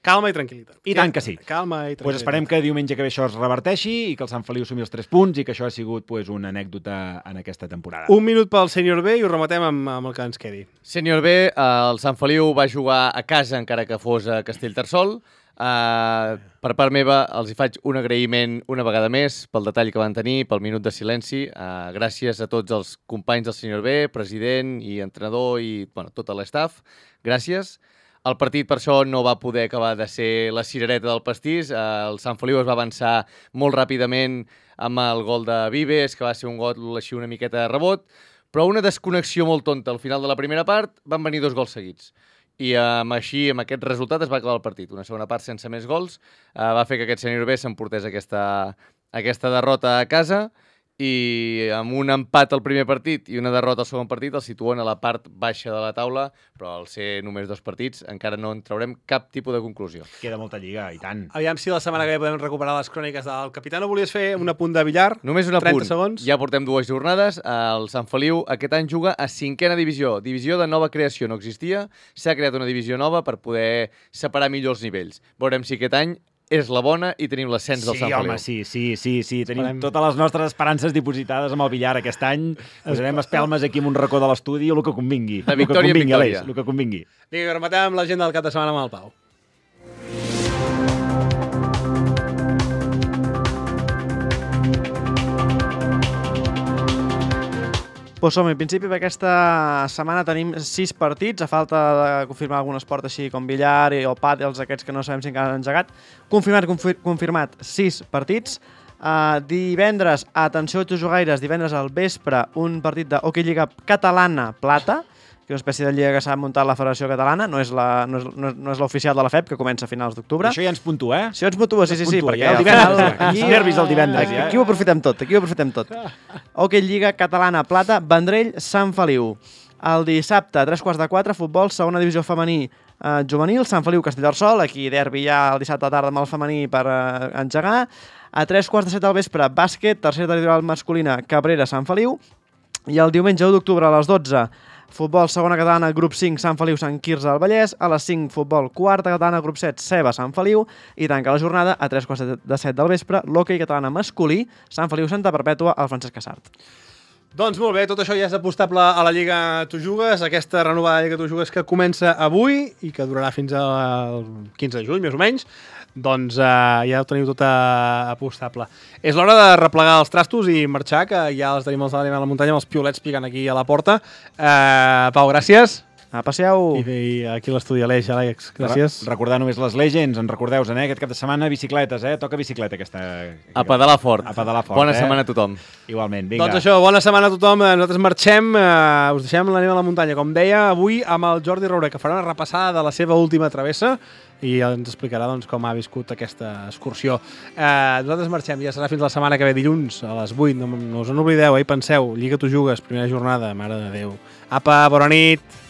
Calma i tranquil·litat. I tant que sí. Calma i tranquil·litat. Pues esperem que diumenge que ve això es reverteixi i que el Sant Feliu sumi els tres punts i que això ha sigut pues, una anècdota en aquesta temporada. Un minut pel Sènior B i ho rematem amb, amb el que ens quedi. Sènior B, eh, el Sant Feliu va jugar a casa encara que fos a Castellterçol. Eh, per part meva els hi faig un agraïment una vegada més pel detall que van tenir, pel minut de silenci. Eh, gràcies a tots els companys del Sènior B, president i entrenador i bueno, tot l'estaf. Gràcies. El partit, per això, no va poder acabar de ser la cirereta del pastís. El Sant Feliu es va avançar molt ràpidament amb el gol de Vives, que va ser un gol així una miqueta de rebot, però una desconnexió molt tonta. Al final de la primera part van venir dos gols seguits. I amb així, amb aquest resultat, es va acabar el partit. Una segona part sense més gols eh, va fer que aquest Sènior B s'emportés aquesta, aquesta derrota a casa, i amb un empat al primer partit i una derrota al segon partit el situen a la part baixa de la taula, però al ser només dos partits encara no en traurem cap tipus de conclusió. Queda molta lliga, i tant. Aviam si la setmana que ve podem recuperar les cròniques del capità. No volies fer un apunt de billar? Només un trenta apunt. segons. Ja portem dues jornades. El Sant Feliu aquest any juga a cinquena divisió. Divisió de nova creació no existia. S'ha creat una divisió nova per poder separar millor els nivells. Veurem si aquest any és la bona i tenim l'ascens del Sí, Sant Feliu. home, sí, sí, sí, sí. Tenim Esperem. totes les nostres esperances dipositades amb el billar aquest any. Posarem espelmes aquí en un racó de l'estudi o el que convingui. De El que victòria en convingui, victòria. Aleix, el que convingui. Vinga, rematem amb l'agenda del cap de setmana amb el Pau. Pues som, en principi, per aquesta setmana tenim sis partits, a falta de confirmar algun esport així com billar i, o pàdels, aquests que no sabem si encara han engegat. Confirmat, confir confirmat, sis partits. Uh, divendres, atenció a jugaires, divendres al vespre, un partit de Hockey Lliga Catalana Plata, que és una espècie de lliga que s'ha muntat la Federació Catalana, no és la, no és, no és, no és l'oficial de la F E P, que comença a finals d'octubre. Això ja ens puntua, eh? Això ens puntua, sí, sí, sí, puntua, perquè ja, el al divendres, final... ja. Quins nervis el divendres, aquí, ja. aquí ho aprofitem tot, aquí ho aprofitem tot. Hockey Lliga Catalana Plata, Vendrell, Sant Feliu. El dissabte, a tres quarts de quatre, futbol, segona divisió femení eh, juvenil, Sant Feliu, Castellterçol, aquí derbi ja el dissabte a tarda amb el femení per eh, engegar. A tres quarts de set del vespre, bàsquet, tercera territorial masculina, Cabrera, Sant Feliu. I el diumenge u d'octubre a les dotze, futbol segona catalana, grup cinc, Sant Feliu, Sant Quirze del Vallès. A les cinc, futbol quarta catalana, grup set, Ceba, Sant Feliu. I tanca la jornada a tres quarts de set del vespre, l'hoquei catalana masculí, Sant Feliu, Santa Perpètua, al Francesc Casart. Doncs molt bé, tot això ja és apostable a la Lliga Tu Jugues, aquesta renovada Lliga Tu Jugues que comença avui i que durarà fins al quinze de juny, més o menys. Doncs uh, ja ho teniu tot uh, apostable. És l'hora de replegar els trastos i marxar, que ja els tenim els de a la muntanya amb els piolets picant aquí a la porta. Uh, Pau, gràcies. A passeu. I, i aquí a l'estudi Aleix, Àlex, gràcies. Re recordar només les Legends, en recordeu-vos, eh? Aquest cap de setmana, bicicletes, eh? Toca bicicleta aquesta... A pedalar fort. A pedalar fort, Bona eh? setmana a tothom. Igualment, vinga. Doncs això, bona setmana a tothom. Nosaltres marxem, eh, us deixem l'anem a la muntanya, com deia, avui amb el Jordi Roure, que farà una repassada de la seva última travessa i ens explicarà doncs, com ha viscut aquesta excursió. Eh, nosaltres marxem, ja serà fins la setmana que ve, dilluns, a les vuit. No, no us en oblideu, eh? Penseu, Lliga Tu Jugues, primera jornada, mare de Déu. Apa, bona nit!